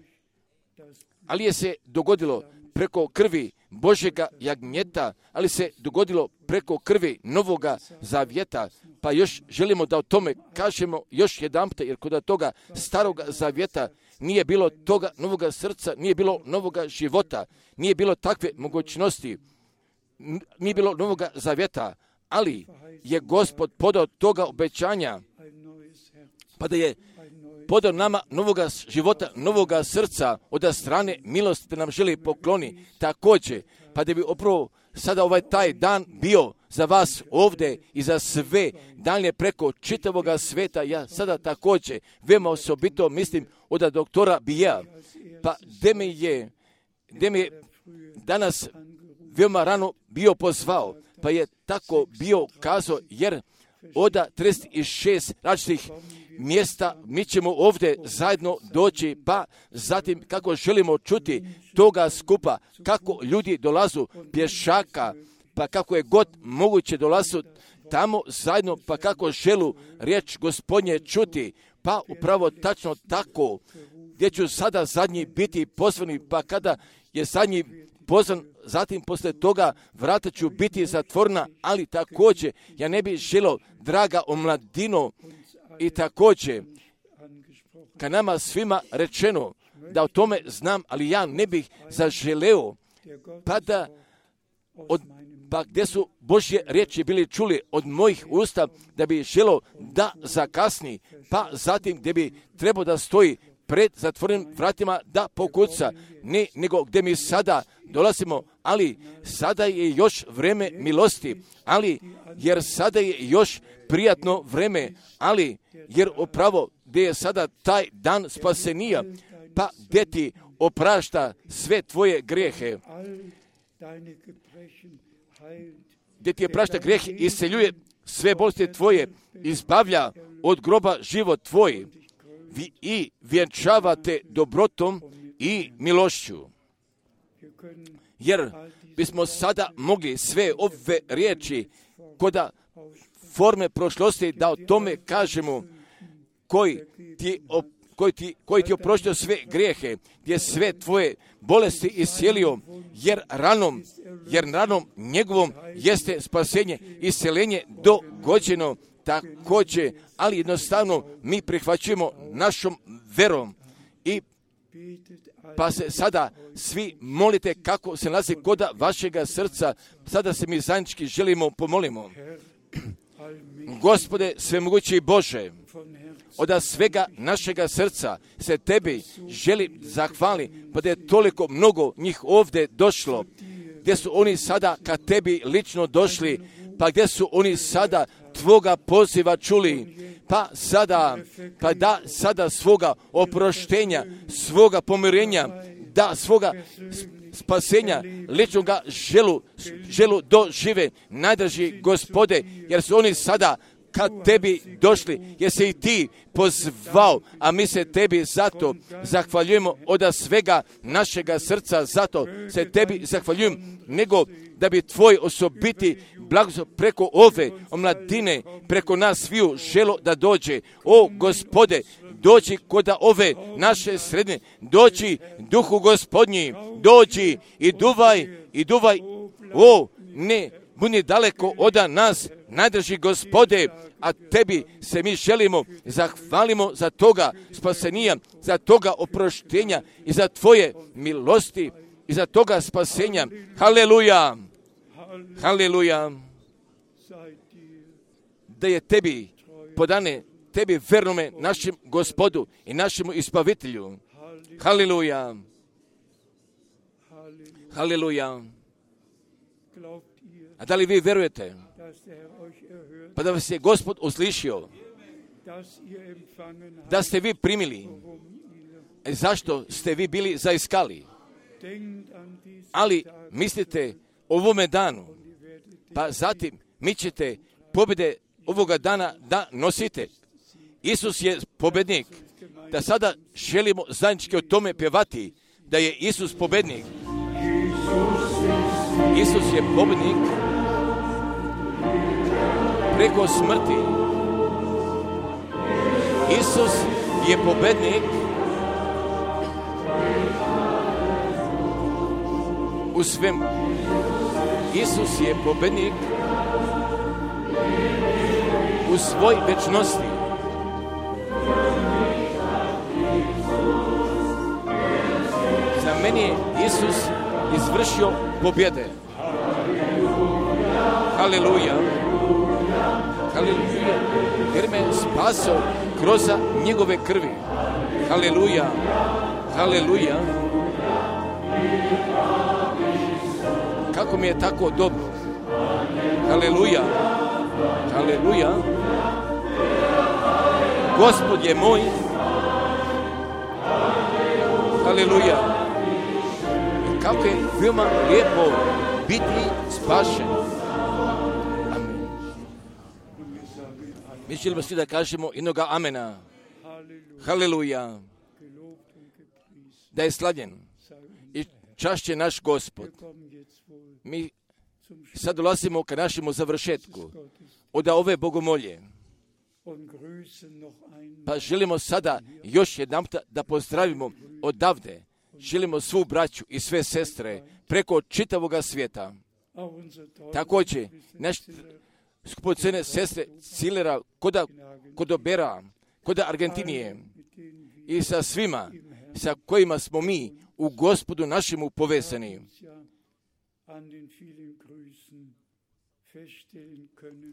Ali je se dogodilo preko krvi Božjega jagnjeta, ali se dogodilo preko krvi novoga zavjeta, pa još želimo da o tome kažemo još jedanput, jer kod toga staroga zavjeta nije bilo toga novoga srca, nije bilo novoga života, nije bilo takve mogućnosti, nije bilo novoga zavjeta, ali je Gospod podao toga obećanja, pa da je podao nama novoga života, novoga srca od strane milosti da nam želi pokloni također, pa da bi upravo sada ovaj taj dan bio za vas ovdje i za sve dalje preko čitavoga sveta. Ja sada također veoma osobito mislim od doktora Bija, pa gdje me je, gdje me je danas veoma rano bio pozvao, pa je tako bio kazao, jer od trideset šest različitih mjesta mi ćemo ovdje zajedno doći, pa zatim kako želimo čuti toga skupa, kako ljudi dolazu pješaka, pa kako je god moguće dolazu tamo zajedno, pa kako želu riječ Gospodnje čuti, pa upravo tačno tako, gdje ću sada zadnji biti pozvani, pa kada je zadnji pozvan, zatim poslije toga vrata ću biti zatvorena, ali također ja ne bih želio, draga omladino, i također kad nama svima rečeno da o tome znam, ali ja ne bih zaželeo, pa da od, pa gdje su Božje riječi bili čuli od mojih usta, da bi želio da zakasni, pa zatim gdje bi trebao da stoji pred zatvorenim vratima da pokuca, ne nego gdje mi sada dolazimo, ali sada je još vreme milosti, ali jer sada je još prijatno vreme, ali jer upravo gdje je sada taj dan spasenija, pa gdje ti oprašta sve tvoje grijehe, gdje ti je prašta grijeh, isceljuje sve bolesti tvoje, izbavlja od groba život tvoj vi, i vjenčavate dobrotom i milošću. Jer bismo sada mogli sve ove riječi koda forme prošlosti da o tome kažemo, koji ti, koji ti, koji ti oproštio sve grijehe, gdje sve tvoje bolesti iscijelio, jer ranom, jer ranom njegovom jeste spasenje, isceljenje dogođeno također, ali jednostavno mi prihvaćujemo našom verom i pa se sada svi molite kako se nalazi koda vašega srca, sada se mi zajednički želimo pomolimo. Gospode svemogući Bože, od svega našega srca se tebi želim zahvali, pa da je toliko mnogo njih ovdje došlo, gdje su oni sada kad tebi lično došli, pa gdje su oni sada tvoga poziva čuli, pa sada, pa da sada svoga oproštenja, svoga pomirenja, da svoga spasenja, ličnoga želu, želu dožive, najdraži Gospode, jer su oni sada kad tebi došli, jer se i ti pozvao, a mi se tebi zato zahvaljujemo od svega našega srca, zato se tebi zahvaljujem, nego da bi tvoj osobiti blagoslov preko ove omladine, preko nas sviju želo da dođe. O Gospode, dođi kod ove naše srednje, dođi Duhu Gospodnji, dođi i duvaj, i duvaj, o ne, budi daleko od nas, najdraži Gospode, a tebi se mi želimo, zahvalimo za toga spasenija, za toga oproštenja i za tvoje milosti i za toga spasenja. Haleluja, haleluja, da je tebi podane, tebi vernome našem Gospodu i našemu ispavitelju. Haleluja, haleluja. A da li vi vjerujete pa da vas je Gospod uslišio, da ste vi primili, e zašto ste vi bili zaiskali? Ali mislite o ovome danu, pa zatim mi ćete pobjede ovoga dana da nosite. Isus je pobednik. Da sada želimo zajednički o tome pjevati, da je Isus pobednik. Isus je pobednik preko smrti. Isus je pobednik u svemu. Isus je pobednik u svoj večnosti. Za mene je Isus izvršio pobjede. Haleluja. Haleluja. Jer me spasao kroz njegove krvi. Haleluja. Haleluja. Kako mi je tako dobro. Haleluja. Haleluja. Gospod je moj. Haleluja. I kako je veoma lijepo biti spašen. Amen. Mi želimo svi da kažemo jednoga amena. Haleluja. Da je slavljen i čašće naš Gospod. Mi sad dolazimo ka našemu završetku od ove bogomolje. Pa želimo sada još jedan da pozdravimo odavde. Želimo svu braću i sve sestre preko čitavoga svijeta. Također, naš skupocene sestre Cilera, koda Kodobera, koda Argentinije i sa svima sa kojima smo mi u Gospodu našemu povezani.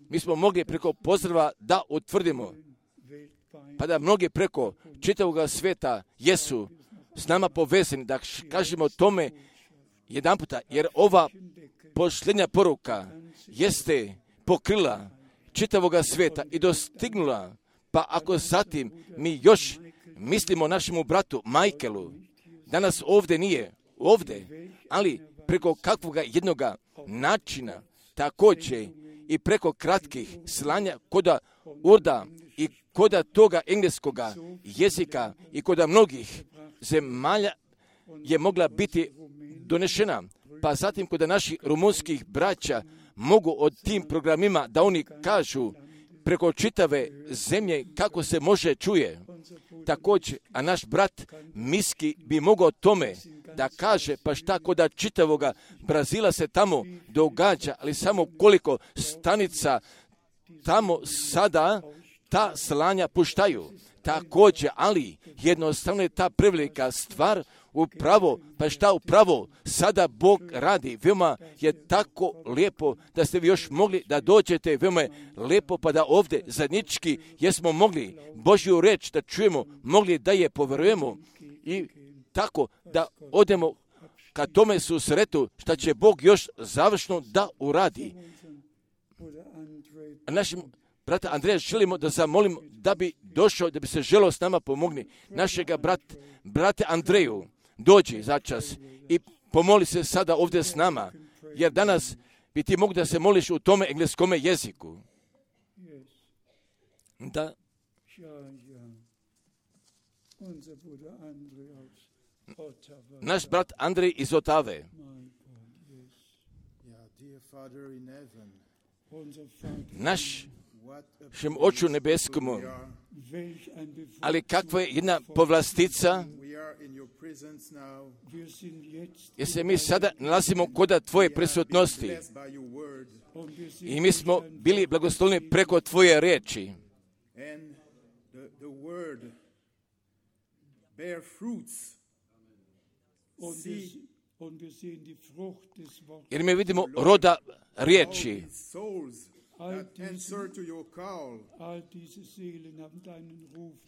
Mi smo mogli preko pozdrava da utvrdimo, pa da mnogi preko čitavog svijeta jesu s nama povezani, da kažemo tome jedan puta, jer ova posljednja poruka jeste pokrila čitavog svijeta i dostignula, pa ako zatim mi još mislimo našemu bratu Michaelu, danas ovdje nije, ovdje, ali preko kakvoga jednoga načina, također i preko kratkih slanja koda urda i koda toga engleskoga jezika i koda mnogih zemalja je mogla biti donešena. Pa zatim koda naših rumunskih braća mogu od tim programima da oni kažu preko čitave zemlje kako se može čuje. Također, a naš brat Miski bi mogao tome da kaže, pa šta koda čitavoga Brazila se tamo događa, ali samo koliko stanica tamo sada ta slanja puštaju. Također, ali jednostavno je ta prevelika stvar upravo, pa šta upravo sada Bog radi. Veoma je tako lijepo da ste vi još mogli da dođete, veoma je lijepo pa da ovdje zajednički jesmo mogli Božju reč da čujemo, mogli da je poverujemo i tako da odemo ka tome susretu šta će Bog još završno da uradi. A našim brata Andreja želimo da zamolimo da bi došao, da bi se želio s nama pomogni. Našega brat, brate Andreju, dođi začas i pomoli se sada ovdje s nama, jer danas bi ti mogli da se moliš u tome engleskome jeziku. Da. Naš brat Andrej iz Otave. Naš šem oču nebeskomu, ali kakva je jedna povlastica, jer se mi sada nalazimo koda tvoje prisutnosti i mi smo bili blagoslovljeni preko tvoje riječi. Jer mi vidimo roda riječi.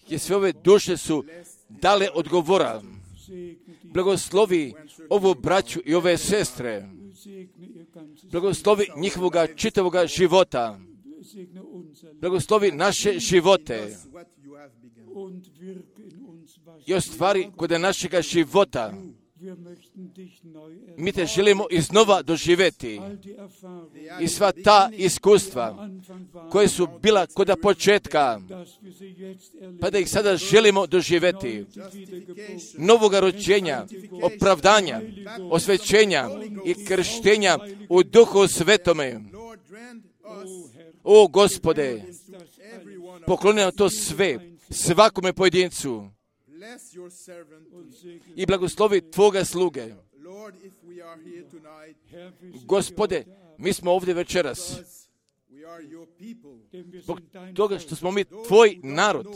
Jer sve ove duše su dale odgovora. Blagoslovi ovu braću i ove sestre. Blagoslovi njihovoga čitavoga života. Blagoslovi naše živote. I ostvari kod našega života. Mi te želimo iznova doživjeti. I sva ta iskustva koje su bila kod početka, pa da ih sada želimo doživjeti. Novoga rođenja, opravdanja, osvećenja i krštenja u Duhu Svetome. O Gospode, pokloni nam to sve, svakome pojedincu. I blagoslovi Tvoga sluge. Gospode, mi smo ovdje večeras zbog toga što smo mi Tvoj narod,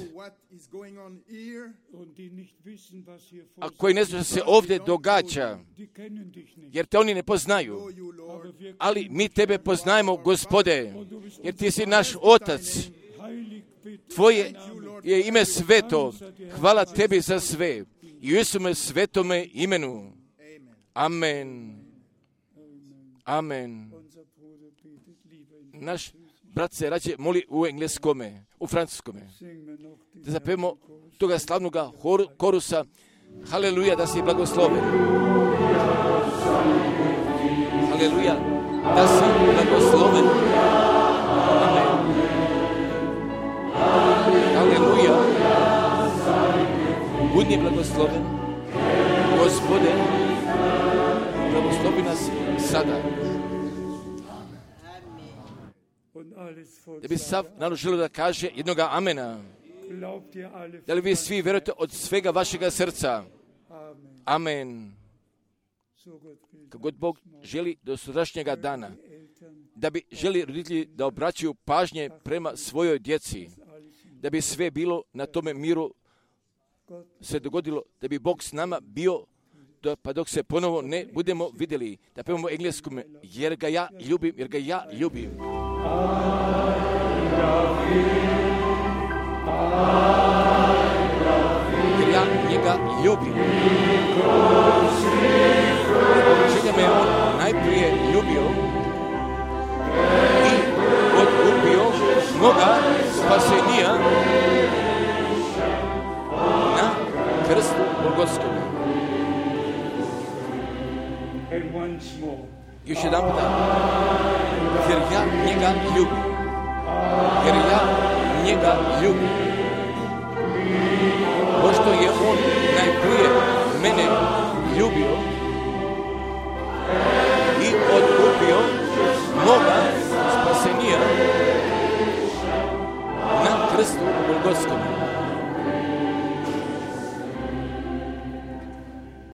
a koji ne zna što se ovdje događa, jer Te oni ne poznaju. Ali mi Tebe poznajemo, Gospode, jer Ti si naš Otac. Tvoje je ime sveto. Hvala Tebi za sve. I u Isume svetome imenu. Amen. Amen. Naš brat se rađe moli u engleskome, u francuskome. Da zapevamo toga slavnoga korusa. Haleluja, da si blagosloven. Haleluja, da si blagosloven. Amen. Haleluja. Budi blagosloven. Gospode, blagoslovi nas sada. Da bi sav narod želio da kaže jednoga amena. Da li vi svi vjerujete od svega vašega srca? Amen. Kako god Bog želi do sutrašnjega dana, da bi želi roditelji da obraćaju pažnje prema svojoj djeci, da bi sve bilo na tome miru se dogodilo, da bi Bog s nama bio, pa dok se ponovo ne budemo vidjeli. Da pevamo engleskom, jer ga ja ljubim, jer ga ja ljubim. Jer ja njega ljubim. Čega me on najprije ljubio i odkupio moga spasenija na krstu Golgotskome. Još jedan puta. Jer ja njega ljubim. Jer ja njega ljubim. Pošto je on najprije mene ljubio i odkupio moga spasenija na krstu Golgotskome.